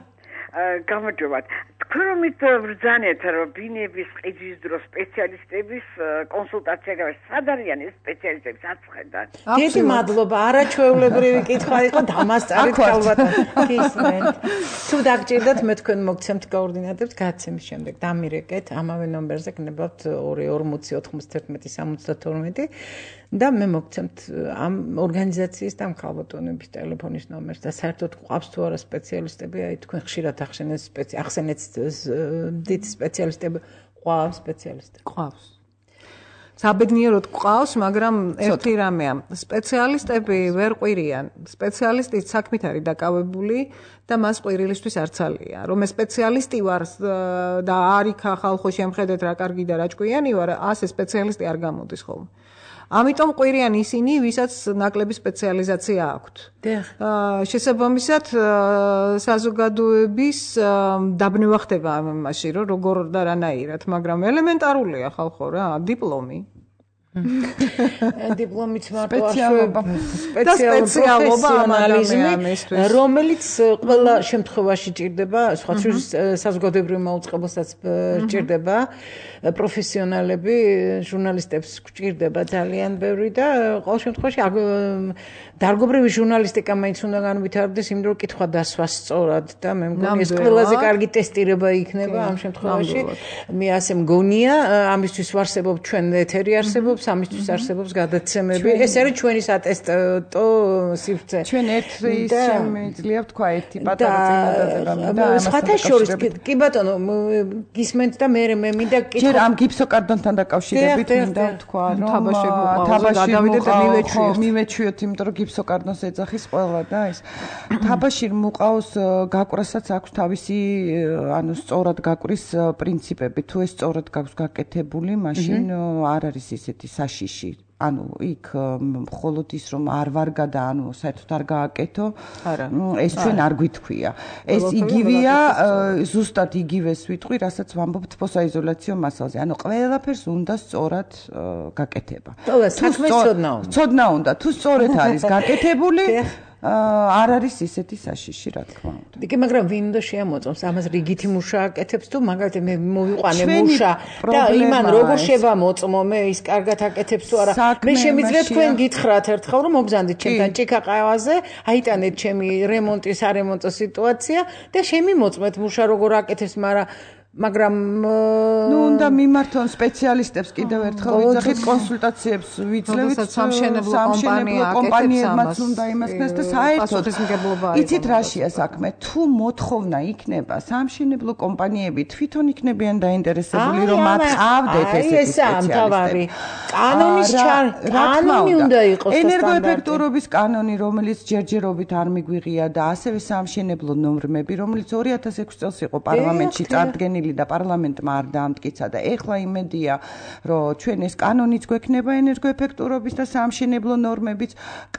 გამარჯობა. თქვენ რომ ბრძანეთ რომ ბინების ყიდის დროს სპეციალისტების კონსულტაცია გავეს, სად არიან ეს სპეციალისტები საცხედან? დიდი მადლობა, არაჩვეულებრივი კითხვა იყო, დამასწარეთ ქალბატონო. გისმენთ. თუ დაგჭირდათ მე თქვენ მოგცემთ კოორდინატებს გადაცემის შემდეგ დამირეკეთ ამავე ნომერზე გნებავთ ორი ორმოცი ოთხმოცდაერთმეტი სამოცდათორმეტი და მე მოგცემთ ამ ორგანიზაციის და ამ ქალბატონების ტელეფონის ნომერს და საერთოდ ყავს თუ არა სპეციალისტები, აი თქვენ ხშირად ახსენეთ ახსენეთ დიდი სპეციალისტები, ყავს სპეციალისტები. ყავს. საბედნიეროდ ყავს, მაგრამ ერთი რამეა, სპეციალისტები ვერ ყვირიან. სპეციალისტი საქმით არის დაკავებული და მას ყვირილისთვის არ ცალია. რომ ეს სპეციალისტი ვარ და არიქა ხალხო შემხედეთ რა კარგი და რა ჭკვიანი ვარ, ასე სპეციალისტი არ გამოდის ხოლმე. ამიტომ ყვირიან ისინი, ვისაც ნაკლები სპეციალიზაცია აქვთ. აა შესაბამისად საზოგადოების დაბნევა ხდება ამ იმაში, რომ როგორ და რანაირად, მაგრამ ელემენტარულია ხალხო რა, დიპლომი. დიპლომით მარტო სპეციალობა ანალიზმი, რომელიც ყველა შემთხვევაში ჭირდება, სხვა საზოგადოებრივ მაუწყებელსაც ჭირდება, პროფესიონალები, ჟურნალისტებს ჭირდება ძალიან ბევრი და ყოველ შემთხვევაში დარგობრივი ჟურნალისტიკა მაინც უნდა განვითარდეს, იმიტომ რომ კითხვა დასვა სწორად და მე მგონი ეს ყველაზე კარგი ტესტირება იქნება ამ შემთხვევაში. მე ასე მგონია, ამისთვის ვარსებობ ჩვენ ეთერი არსებობს, ამისთვის არსებობს გადაცემები. ეს არის ჩვენი სატესტო სივრცე. ჩვენ ერთ ის შემიძლია ვთქვა ერთი პატარა წინადადება და სხვათა შორის კი ბატონო გისმენთ და მე მე მინდა კითხვა ჯერ ამ გიფსოკარდონთან დაკავშირებით მინდა ვთქვა რომ თაბაშირ მივეჩვიოთ მივეჩვიოთ იმიტომ რომ გიფსოკარდონს ეძახის ყველა და ეს თაბაშირ მუყავს გაკვράსაც აქვს თავისი ანუ სწორად გაკვრის პრინციპები თუ ეს სწორად გაქვს გაკეთებული მაშინ არ არის ისეთი საშიში ანუ იქ მხოლოდ ის რომ არ ვარგა და ანუ საერთოდ არ გააკეთო ეს ჩვენ არ გვითქვია ეს იგივეა ზუსტად იგივეს ვიტყვი რასაც ვამბობ თბოსაიზოლაციო მასალზე ანუ ყველაფერს უნდა სწორად გაკეთება საქმე ცოდნა უნდა ცოდნა უნდა თუ სწორად არის გაკეთებული არ არის ისეთი საშიში რა თქმა უნდა. კი, მაგრამ ვინ უნდა შეამოწმოს ამას რიგითი მუშა აკეთებს თუ მაგალითად მე მოვიყვანე მუშა და იმან როგორ შევამოწმო მე ის კარგად აკეთებს თუ არა. მე შემიძლია თქვენ გითხრათ ერთხელ რომ მოგზანდით ჩემთან ჭიქა ყავაზე, აიტანეთ ჩემი რემონტის არემონტო სიტუაცია და შემიმოწმეთ მუშა როგორ აკეთებს, მაგრამ მაგრამ ნუ უნდა მიმართონ სპეციალისტებს კიდევ ერთხელ ვიძახით კონსულტაციებს ვიძლევით სამშენებლო კომპანიებმაც უნდა იმასქნეს და საერთოდ იცით რაშია საქმე თუ მოთხოვნა იქნება სამშენებლო კომპანიები თვითონ იქნებიან დაინტერესებული რომ მათ ყავდეთ ესეთი სპეციალისტები კანონის კანონი უნდა იყოს ენერგოეფექტურობის კანონი რომელიც ჯერჯერობით არ მიგვიღია და ასევე სამშენებლო ნორმები რომელიც ორი ათას ექვსი წელს იყო პარლამენტში წარდგენილი მოხსნილი და პარლამენტმა არ დაამტკიცა და ეხლა იმედია, რომ ჩვენ ეს კანონიც გვექნება ენერგოეფექტურობის და საამშენებლო ნორმებიც.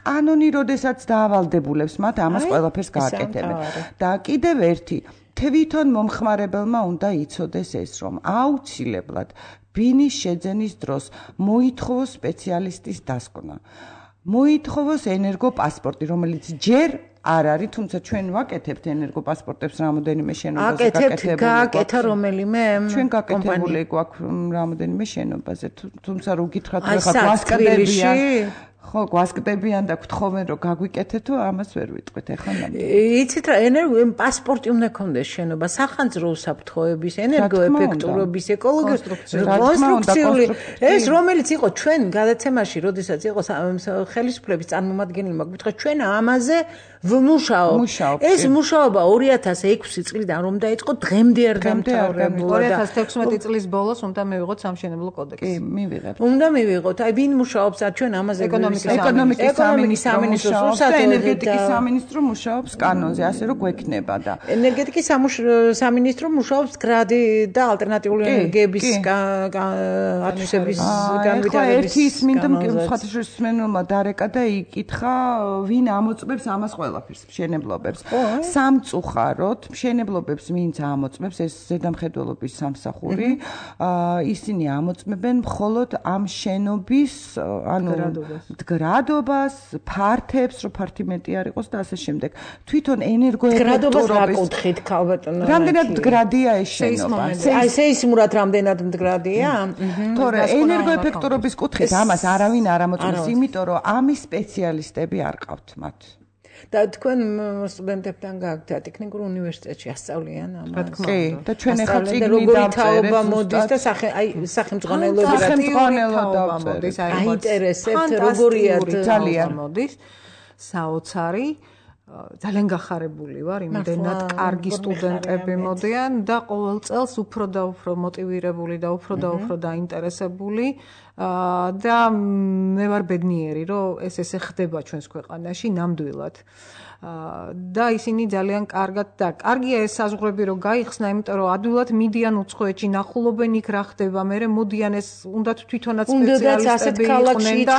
კანონი როდესაც დაავალდებულებს მათ ამას ყველაფერს გააკეთებენ. და კიდევ ერთი თვითონ მომხმარებელმა უნდა იცოდეს ეს, რომ აუცილებლად ბინის შეძენის დროს მოითხოვოს სპეციალისტის დასკვნა. მოითხოვოს ენერგოპასპორტი, რომელიც ჯერ არ არის, თუმცა ჩვენ ვაკეთებთ ენერგოპასპორტებს რამოდენიმე შენობაზე გაკეთებული. გააკეთა რომელიმე ჩვენ გაკეთებული გვაქვს რამოდენიმე შენობაზე, თუმცა რო გითხრათ ხა გვასკდებიან. ხო, გვასკდებიან და გთხოვენ რომ გაგვიკეთეთ, თუ ამას ვერ ვიტყვით ახლა ნამდვილად. იცით რა, ენერგო პასპორტი უნდა ქონდეს შენობა, სახანძრო უსაფრთხოების, ენერგოეფექტურობის, ეკოლოგიური, კონსტრუქციული, ეს რომელიც იყო ჩვენ გადაცემაში, როდესაც იყო ხელისუფლების წარმომადგენელმა გვიტყვა, ჩვენ ამაზე ვმუშაობ. ეს მუშაობა ორი ათას ექვსი წლიდან რომ დაიწყო, დღემდე არ დამთავრებულა. ორი ათას თექვსმეტი წლის ბოლოს უნდა მივიღოთ სამშენებლო კოდექსი. კი, მივიღებთ. უნდა მივიღოთ. აი ვინ მუშაობს ჩვენ ამაზე ეკონომიკის სამინისტრო და ენერგეტიკის სამინისტრო მუშაობს კანონზე, ასე რომ გვექნება და ენერგეტიკის სამინისტრო მუშაობს გრადი და ალტერნატიული ენერგიების ათვისების განვითარების. ერთი ის მინდა სხვათაშორისმენელმა დარეკა და იკითხა, ვინ ამოწმებს ამას ყველაფერს, მშენებლობებს. სამწუხაროდ, მშენებლობებს ვინც ამოწმებს, ეს ზედამხედველობის სამსახური, ისინი ამოწმებენ მხოლოდ ამ შენობის, ანუ გრადობას, ფართებს, რომ ფართი მეტი არ იყოს და ასე შემდეგ. თვითონ ენერგოეფექტურობის გრადობას აკუთხით, ქალბატონო. რამდენად მდგრადია ეს შენობა? აი, სეისმურად რამდენად მდგრადია? თორე ენერგოეფექტურობის კუთხით ამას არავინ არ ამოწმებს, იმიტომ რომ ამის სპეციალისტები არ ყავთ მათ. და თქვენ სტუდენტებთან გააქვთ ტექნიკურ უნივერსიტეტში ასწავლიან ამას. კი, და ჩვენ ახლა წიგნი როგორი თაობა მოდის და სახე აი სახელმძღვანელოები სახელმძღვანელო მოდის, აი აინტერესებთ როგორია ძალიან მოდის საოცარი ძალიან გახარებული ვარ, იმდენად კარგი სტუდენტები მოდიან და ყოველ წელს უფრო და უფრო მოტივირებული და უფრო და უფრო დაინტერესებული და მე ვარ ბედნიერი, რომ ეს ესე ხდება ჩვენს ქვეყანაში ნამდვილად. და ისინი ძალიან კარგად და კარგია ეს საზღვრები რომ გაიხსნა, იმიტომ რომ ადვილად მიდიან უცხოეთში, ნახულობენ იქ რა ხდება, მერე მოდიან ეს უნდათ თვითონაც სპეციალისტები იყვნენ და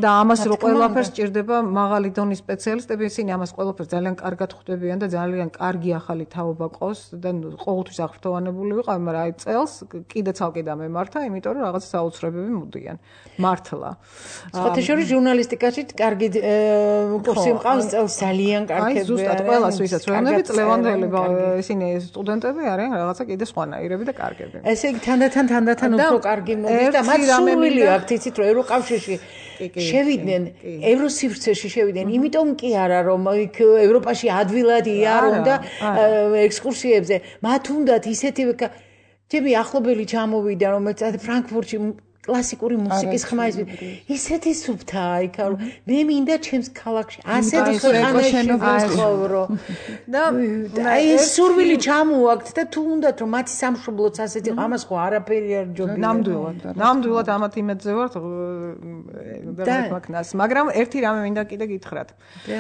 და ამას რო ყველაფერს სჭირდება მაღალი დონის სპეციალისტები, ისინი ამას ყველაფერს ძალიან კარგად ხვდებიან და ძალიან კარგი ახალი თაობა ყავს და ყოველთვის აღფრთოვანებული ვიყავ, მაგრამ აი წელს კიდე ცალკე დამემართა, იმიტომ რომ რაღაც საოცრებები მოდიან. მართლა. სხვათა შორის ჟურნალისტიკაში კარგი კურსი მყავს წელს ძალიან კარგები. აი ზუსტად ყველას ვისაც ვეუბნებით ლევანდელი ისინი სტუდენტები არიან რაღაცა კიდე სხვანაირები და კარგები. ესე იგი თანდათან თანდათან უფრო კარგი მოდის და მათ სურვილი აქვთ იცით რომ ევროკავშირში შევიდნენ ევროსივრცეში შევიდნენ, იმიტომ კი არა რომ იქ ევროპაში ადვილად იარონ და ექსკურსიებზე, მათ უნდათ ისეთივე ჩემი ახლობელი ჩამოვიდა რომელიც ფრანკფურტში კლასიკური მუსიკის ხმა ის ისეთი სუფთაა იქ რომ მე მინდა ჩემს ქალაქში ასეთ ქვეყანაში ვცხოვრო და აი ეს სურვილი ჩამოაქვთ და თუ უნდათ რომ მათი სამშობლოც ასეთი ამას ხო არაფერი არ ჯობია ნამდვილად ნამდვილად ამათ იმედზე ვართ და მაგნას მაგრამ ერთი რამე მინდა კიდე გითხრათ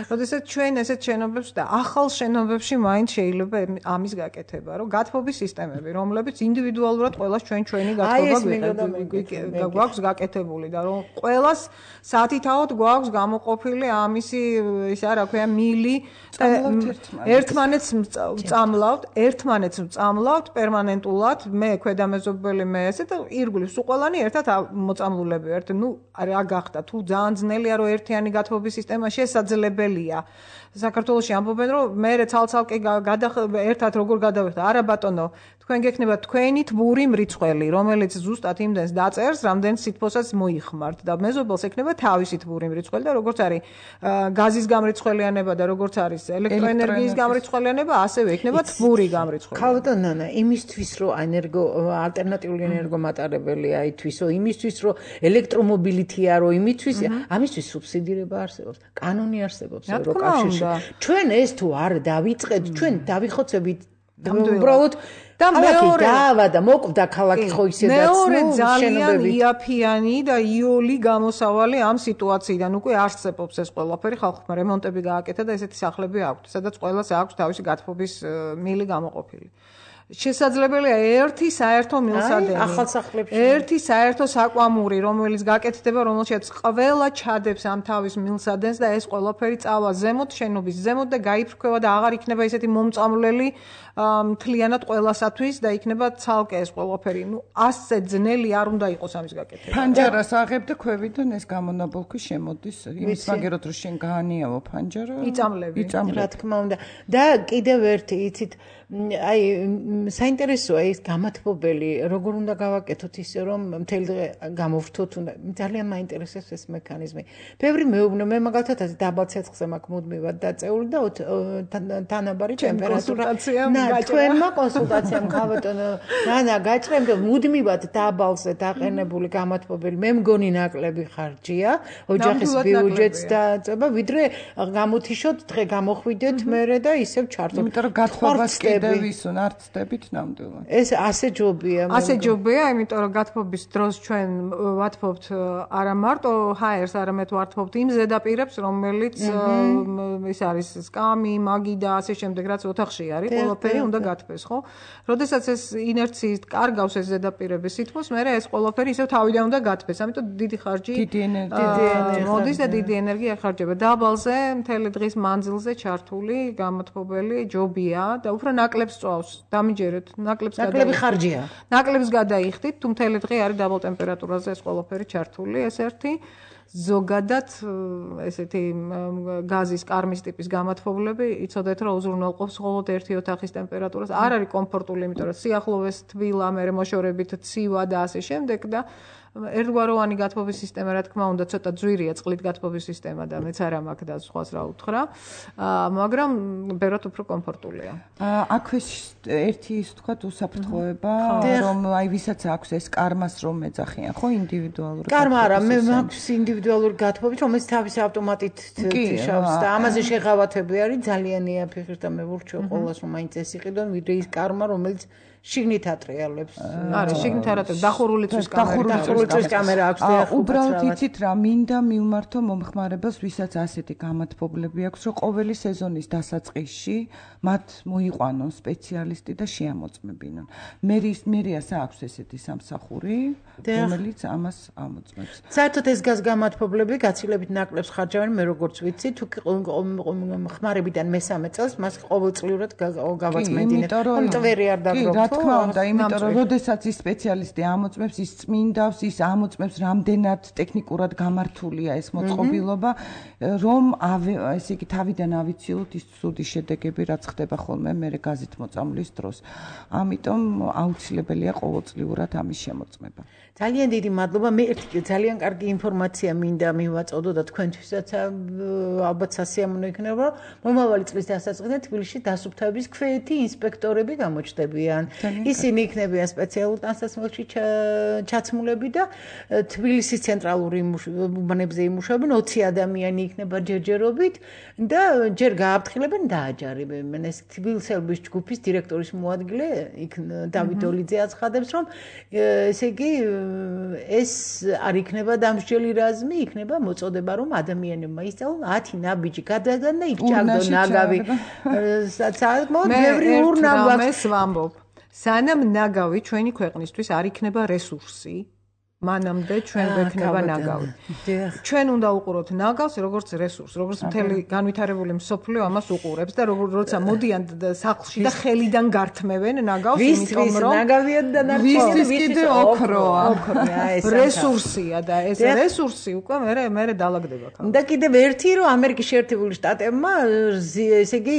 როდესაც ჩვენ ესეთ შენობებს და ახალ შენობებში მაინც შეიძლება ამის გაკეთება რომ გათბობის სისტემები რომლებიც ინდივიდუალურად ყველას ჩვენ ჩვენი გათბობა გვაქვს გაკეთებული და რომ ყველას სათითაოდ გვაქვს გამოყოფილი ამისი ისა რა ქვია მილი ერთმანეთს ვწამლავთ ერთმანეთს ვწამლავთ პერმანენტულად მე ქვედამეზობელი მე ესე და ირგვლივ სულ ყველანი ერთად მოწამლულები ერთ ნუ რა გახდა თუ ძალიან ძნელია რომ ერთიანი გათბობის სისტემა შესაძლებელია საქართველოში ამბობენ რომ მე ცალ-ცალკე ერთად როგორ გადავიხდა არა ბატონო თქვენ გექნება თქვენი თბური მრიცხველი რომელიც ზუსტად იმდენს დაწერს რამდენს სითბოსაც მოიხმართ და მეზობელს ექნება თავისი თბური მრიცხველი და როგორც არის გაზის გამრიცხველიანება და როგორც არის ელექტროენერგიის გამრიცხველიანება ასევე ექნება თბური გამრიცხველი. ხალხო ნანა იმისთვის რომ ენერგო ალტერნატიული ენერგომატარებელია ითვისო იმისთვის რომ ელექტრომობილითია რომ იმისთვის ამისთვის სუბსიდირება არსებობს კანონი არსებობს ევროკავშირში ჩვენ ეს თუ არ დავიწყეთ ჩვენ დავიხოცებით უბრალოდ და მეორე დავა და მოკვდა ქალაქი ხო ისედაც მეორე ძალიან იაფიანი და იოლი გამოსავალი ამ სიტუაციიდან უკვე არსებობს ეს ყველაფერი ხალხმა რემონტები გააკეთა და ესეთი სახლები აქვთ სადაც ყველას აქვს თავისი გათბობის მილი გამოყოფილი შესაძლებელია ერთი საერთო მილსადენი. ახალსახლებში. ერთი საერთო საკვამური, რომელიც გაკეთდება, რომელშიც ყველა ჩადებს ამ თავის მილსადენს და ეს ყველაფერი წავა ზემოთ, შენობის ზემოთ და გაიფრქვევა და აღარ იქნება ესეთი მომწამლელი მთლიანად ყველასათვის და იქნება ცალკე ეს ყველაფერი. ნუ ასზე ძნელი არ უნდა იყოს ამის გაკეთება. ფანჯარას აღებ და ქვევიდან ეს გამონაბოლქვი შემოდის. იმის მაგეროთ რომ შენ გაანიავო ფანჯარა. იწამლები. რა თქმა უნდა. და კიდევ ერთი იცით აი საინტერესოა ის გამათბობელი როგორ უნდა გავაკეთოთ ისე რომ მთელი დღე გამოვრთოთ უნდა ძალიან მაინტერესებს ეს მექანიზმი. ბევრი მეუბნება მე მაგალითად დაბალ ცეცხლზე მაქვს მუდმივად დაწეული და თანაბარი ტემპერატურა თქვენმა კონსულტაციამ ხავატონო რანა გაჭრემ და მუდმივად დაბალზე დაყენებული გამათბობელი მე მგონი ნაკლები ხარჯია ოჯახის ბიუჯეტს დააწება ვიდრე გამოთიშოთ დღე გამოხვიდეთ მერე და ისევ ჩართოთ. იმიტომ რომ გათხოვებას კიდევ ისო ნარცდებით ნამდვილად. ეს ასე ჯობია. ასე ჯობია, იმიტომ რომ გათხოვების დროს ჩვენ ვათხოვთ არა მარტო ჰაერს, არამედ ვათხოვთ იმ ზედაპირებს, რომელიც ის არის სკამი, მაგი და ასე შემდეგ, რაც ოთახში არის, ყველაფერი უნდა გათბეს, ხო? როდესაც ეს ინერციით კარგავს ეს ზედაპირები სითბოს, მე ეს ყველაფერი ისევ თავიდან უნდა გათბეს. ამიტომ დიდი ხარჯი, დიდი ენერგია მოდის და დიდი ენერგია ხარჯება. დაბალზე, მთელი დღის მანძილზე ჩართული გამოთხოვებელი ჯობია და უფრო ნაკლებს წვავს. დამიჯერეთ, ნაკლებს გადაიხდით. ნაკლები ხარჯია. ნაკლებს გადაიხდით, თუ მთელი დღე არის დაბალ ტემპერატურაზე ეს ყველაფერი ჩართული, ეს ერთი. ზოგადად ესეთი გაზის კარმის ტიპის გამოთხოვლები იცოდეთ რომ უზრუნველყოფს მხოლოდ ერთი ოთახის ტემპერატურას. არ არის კომფორტული, იმიტომ რომ სიახლოვეს თბილა, მე მოშორებით ცივა და ასე შემდეგ და ერთგვაროვანი გათბობის სისტემა რა თქმა უნდა ცოტა ძვირია წყლით გათბობის სისტემა და მეც არ მაქვს და სხვას რა უთხრა, მაგრამ ბევრად უფრო კომფორტულია. აქვე ერთი ის თქვა უსაფრთხოება, რომ აი ვისაც აქვს ეს კარმას რომ მეძახიან, ხო ინდივიდუალური კარმა არა, მე მაქვს ინდივიდუალური გათბობი, რომელიც თავის ავტომატით თიშავს და ამაზე შეღავათები არის ძალიან იაფი და მე ვურჩევ ყოველას რომ მაინც ეს იყიდონ, ვიდრე ის კარმა რომელიც შიგნით ატრიალებს. არა, შიგნით ატრიალებს, დახურული წვის კამერა, დახურული წვის კამერა აქვს და უბრალოდ იცით რა, მინდა მივმართო მომხმარებელს, ვისაც ასეთი გამათბობლები აქვს, რომ ყოველი სეზონის დასაწყისში მათ მოიყვანონ სპეციალისტი და შეამოწმებინონ. მერის მერიას აქვს ესეთი სამსახური, რომელიც ამას ამოწმებს. საერთოდ ეს გაზ გამათბობლები გაცილებით ნაკლებს ხარჯავენ, მე როგორც ვიცი, თუ ხმარებიდან მესამე წელს მას ყოველწლიურად გავაწმენდინებ. მტვერი არ დაგროვთ. რა თქმა უნდა, იმიტომ რომ როდესაც ის სპეციალისტი ამოწმებს, ის წმინდავს, ის ამოწმებს რამდენად ტექნიკურად გამართულია ეს მოწყობილობა, რომ ესე იგი თავიდან ავიციოთ ის ცუდი შედეგები, რაც ხდება ხოლმე მე გაზით მოწამვლის დროს. ამიტომ აუცილებელია ყოველწლიურად ამის შემოწმება. ძალიან დიდი მადლობა. მე ერთი ძალიან კარგი ინფორმაცია მინდა მივაწოდო და თქვენთვისაც ალბათ სასიამოვნო იქნება, რომ მომავალი წლის დასაწყისიდან თბილისში დასუფთავების ქვეითი ინსპექტორები გამოჩნდებიან. ისინი იქნებიან სპეციალურ ტანსაცმელში ჩაცმულები და თბილისის ცენტრალური უბანებზე იმუშავებენ, ოცი ადამიანი იქნება ჯერჯერობით და ჯერ გააფრთხილებენ და აჯარებენ. ეს თბილისელების ჯგუფის დირექტორის მოადგილე იქ დავით ოლიძე აცხადებს, რომ ესე იგი ეს არ იქნება დამსჯელი რაზმი, იქნება მოწოდება, რომ ადამიანებმა ისწავლონ ათი ნაბიჯი გადაგან და იქ ჩაგდონ ნაგავი. საკმაოდ ბევრი ურნავ ვამბობ. სანამ ნაგავი ჩვენი ქვეყნისთვის არ იქნება რესურსი, მანამდე ჩვენ გვექნება ნაგავი. ჩვენ უნდა უყუროთ ნაგავს როგორც რესურს, როგორც მთელი განვითარებული მსოფლიო ამას უყურებს და როცა მოდიან სახლში და ხელიდან გართმევენ ნაგავს, იმიტომ რომ ნაგავია და ვისთვის კიდე ოქროა. რესურსია და ეს რესურსი უკვე მე მე დაალაგდება. და კიდევ ერთი რომ ამერიკის შეერთებული შტატებმა ესე იგი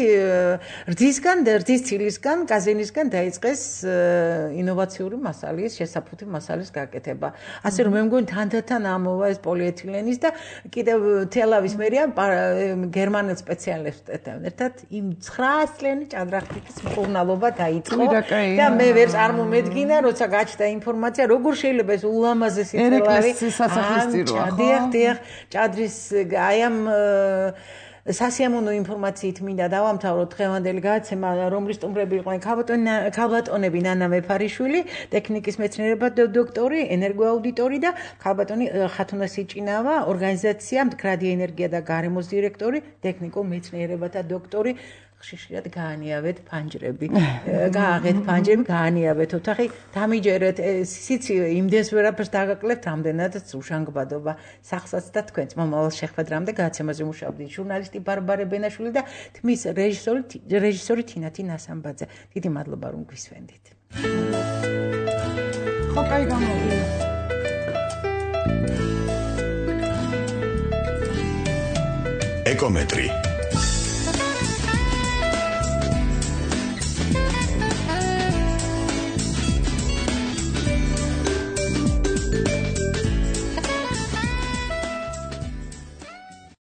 რძისგან და რძის ცილისგან, კაზინისგან დაიწყეს ინოვაციური მასალის, შესაფუთი მასალის გაკეთება. ასე რომ მე მგონი თანდათან ამოვა ეს პოლიეთილენის და კიდევ თელავის მერია გერმანელ სპეციალისტებთან ერთად იმ ცხრა წლიანი ჭადრახტიკის მკურნალობა დაიწყო და მე ვერ წარმომედგინა როცა გაჩნდა ინფორმაცია როგორ შეიძლება ეს ულამაზესი თელავი სასახლისწიროა დიახ დიახ ჭადრის აი ამ სასიამოვნო ინფორმაციით მინდა დავამთავროთ დღევანდელი გადაცემა, რომლის სტუმრები იყვნენ ქალბატონები ნანა მეფარიშვილი, ტექნიკის მეცნიერება დოქტორი, ენერგოაუდიტორი და ქალბატონი ხათუნა სიჭინავა, ორგანიზაცია მდგრადი ენერგია და გარემოს დირექტორი, ტექნიკურ მეცნიერებათა დოქტორი ხშირად გაანიავეთ ფანჯრები, გააღეთ ფანჯრები, გაანიავეთ ოთახი, დამიჯერეთ, სიცი იმდენს ვერაფერს დაგაკლებთ, რამდენადაც უშანგბადობა სახსაც და თქვენს მომავალ შეხვედრამდე გადაცემაზე მუშაობდი ჟურნალისტი ბარბარე ბენაშვილი და თმის რეჟისორი რეჟისორი თინათი ნასამბაძე. დიდი მადლობა რომ გვისვენდით. ხო, კაი გამოვიდა. ეკომეტრი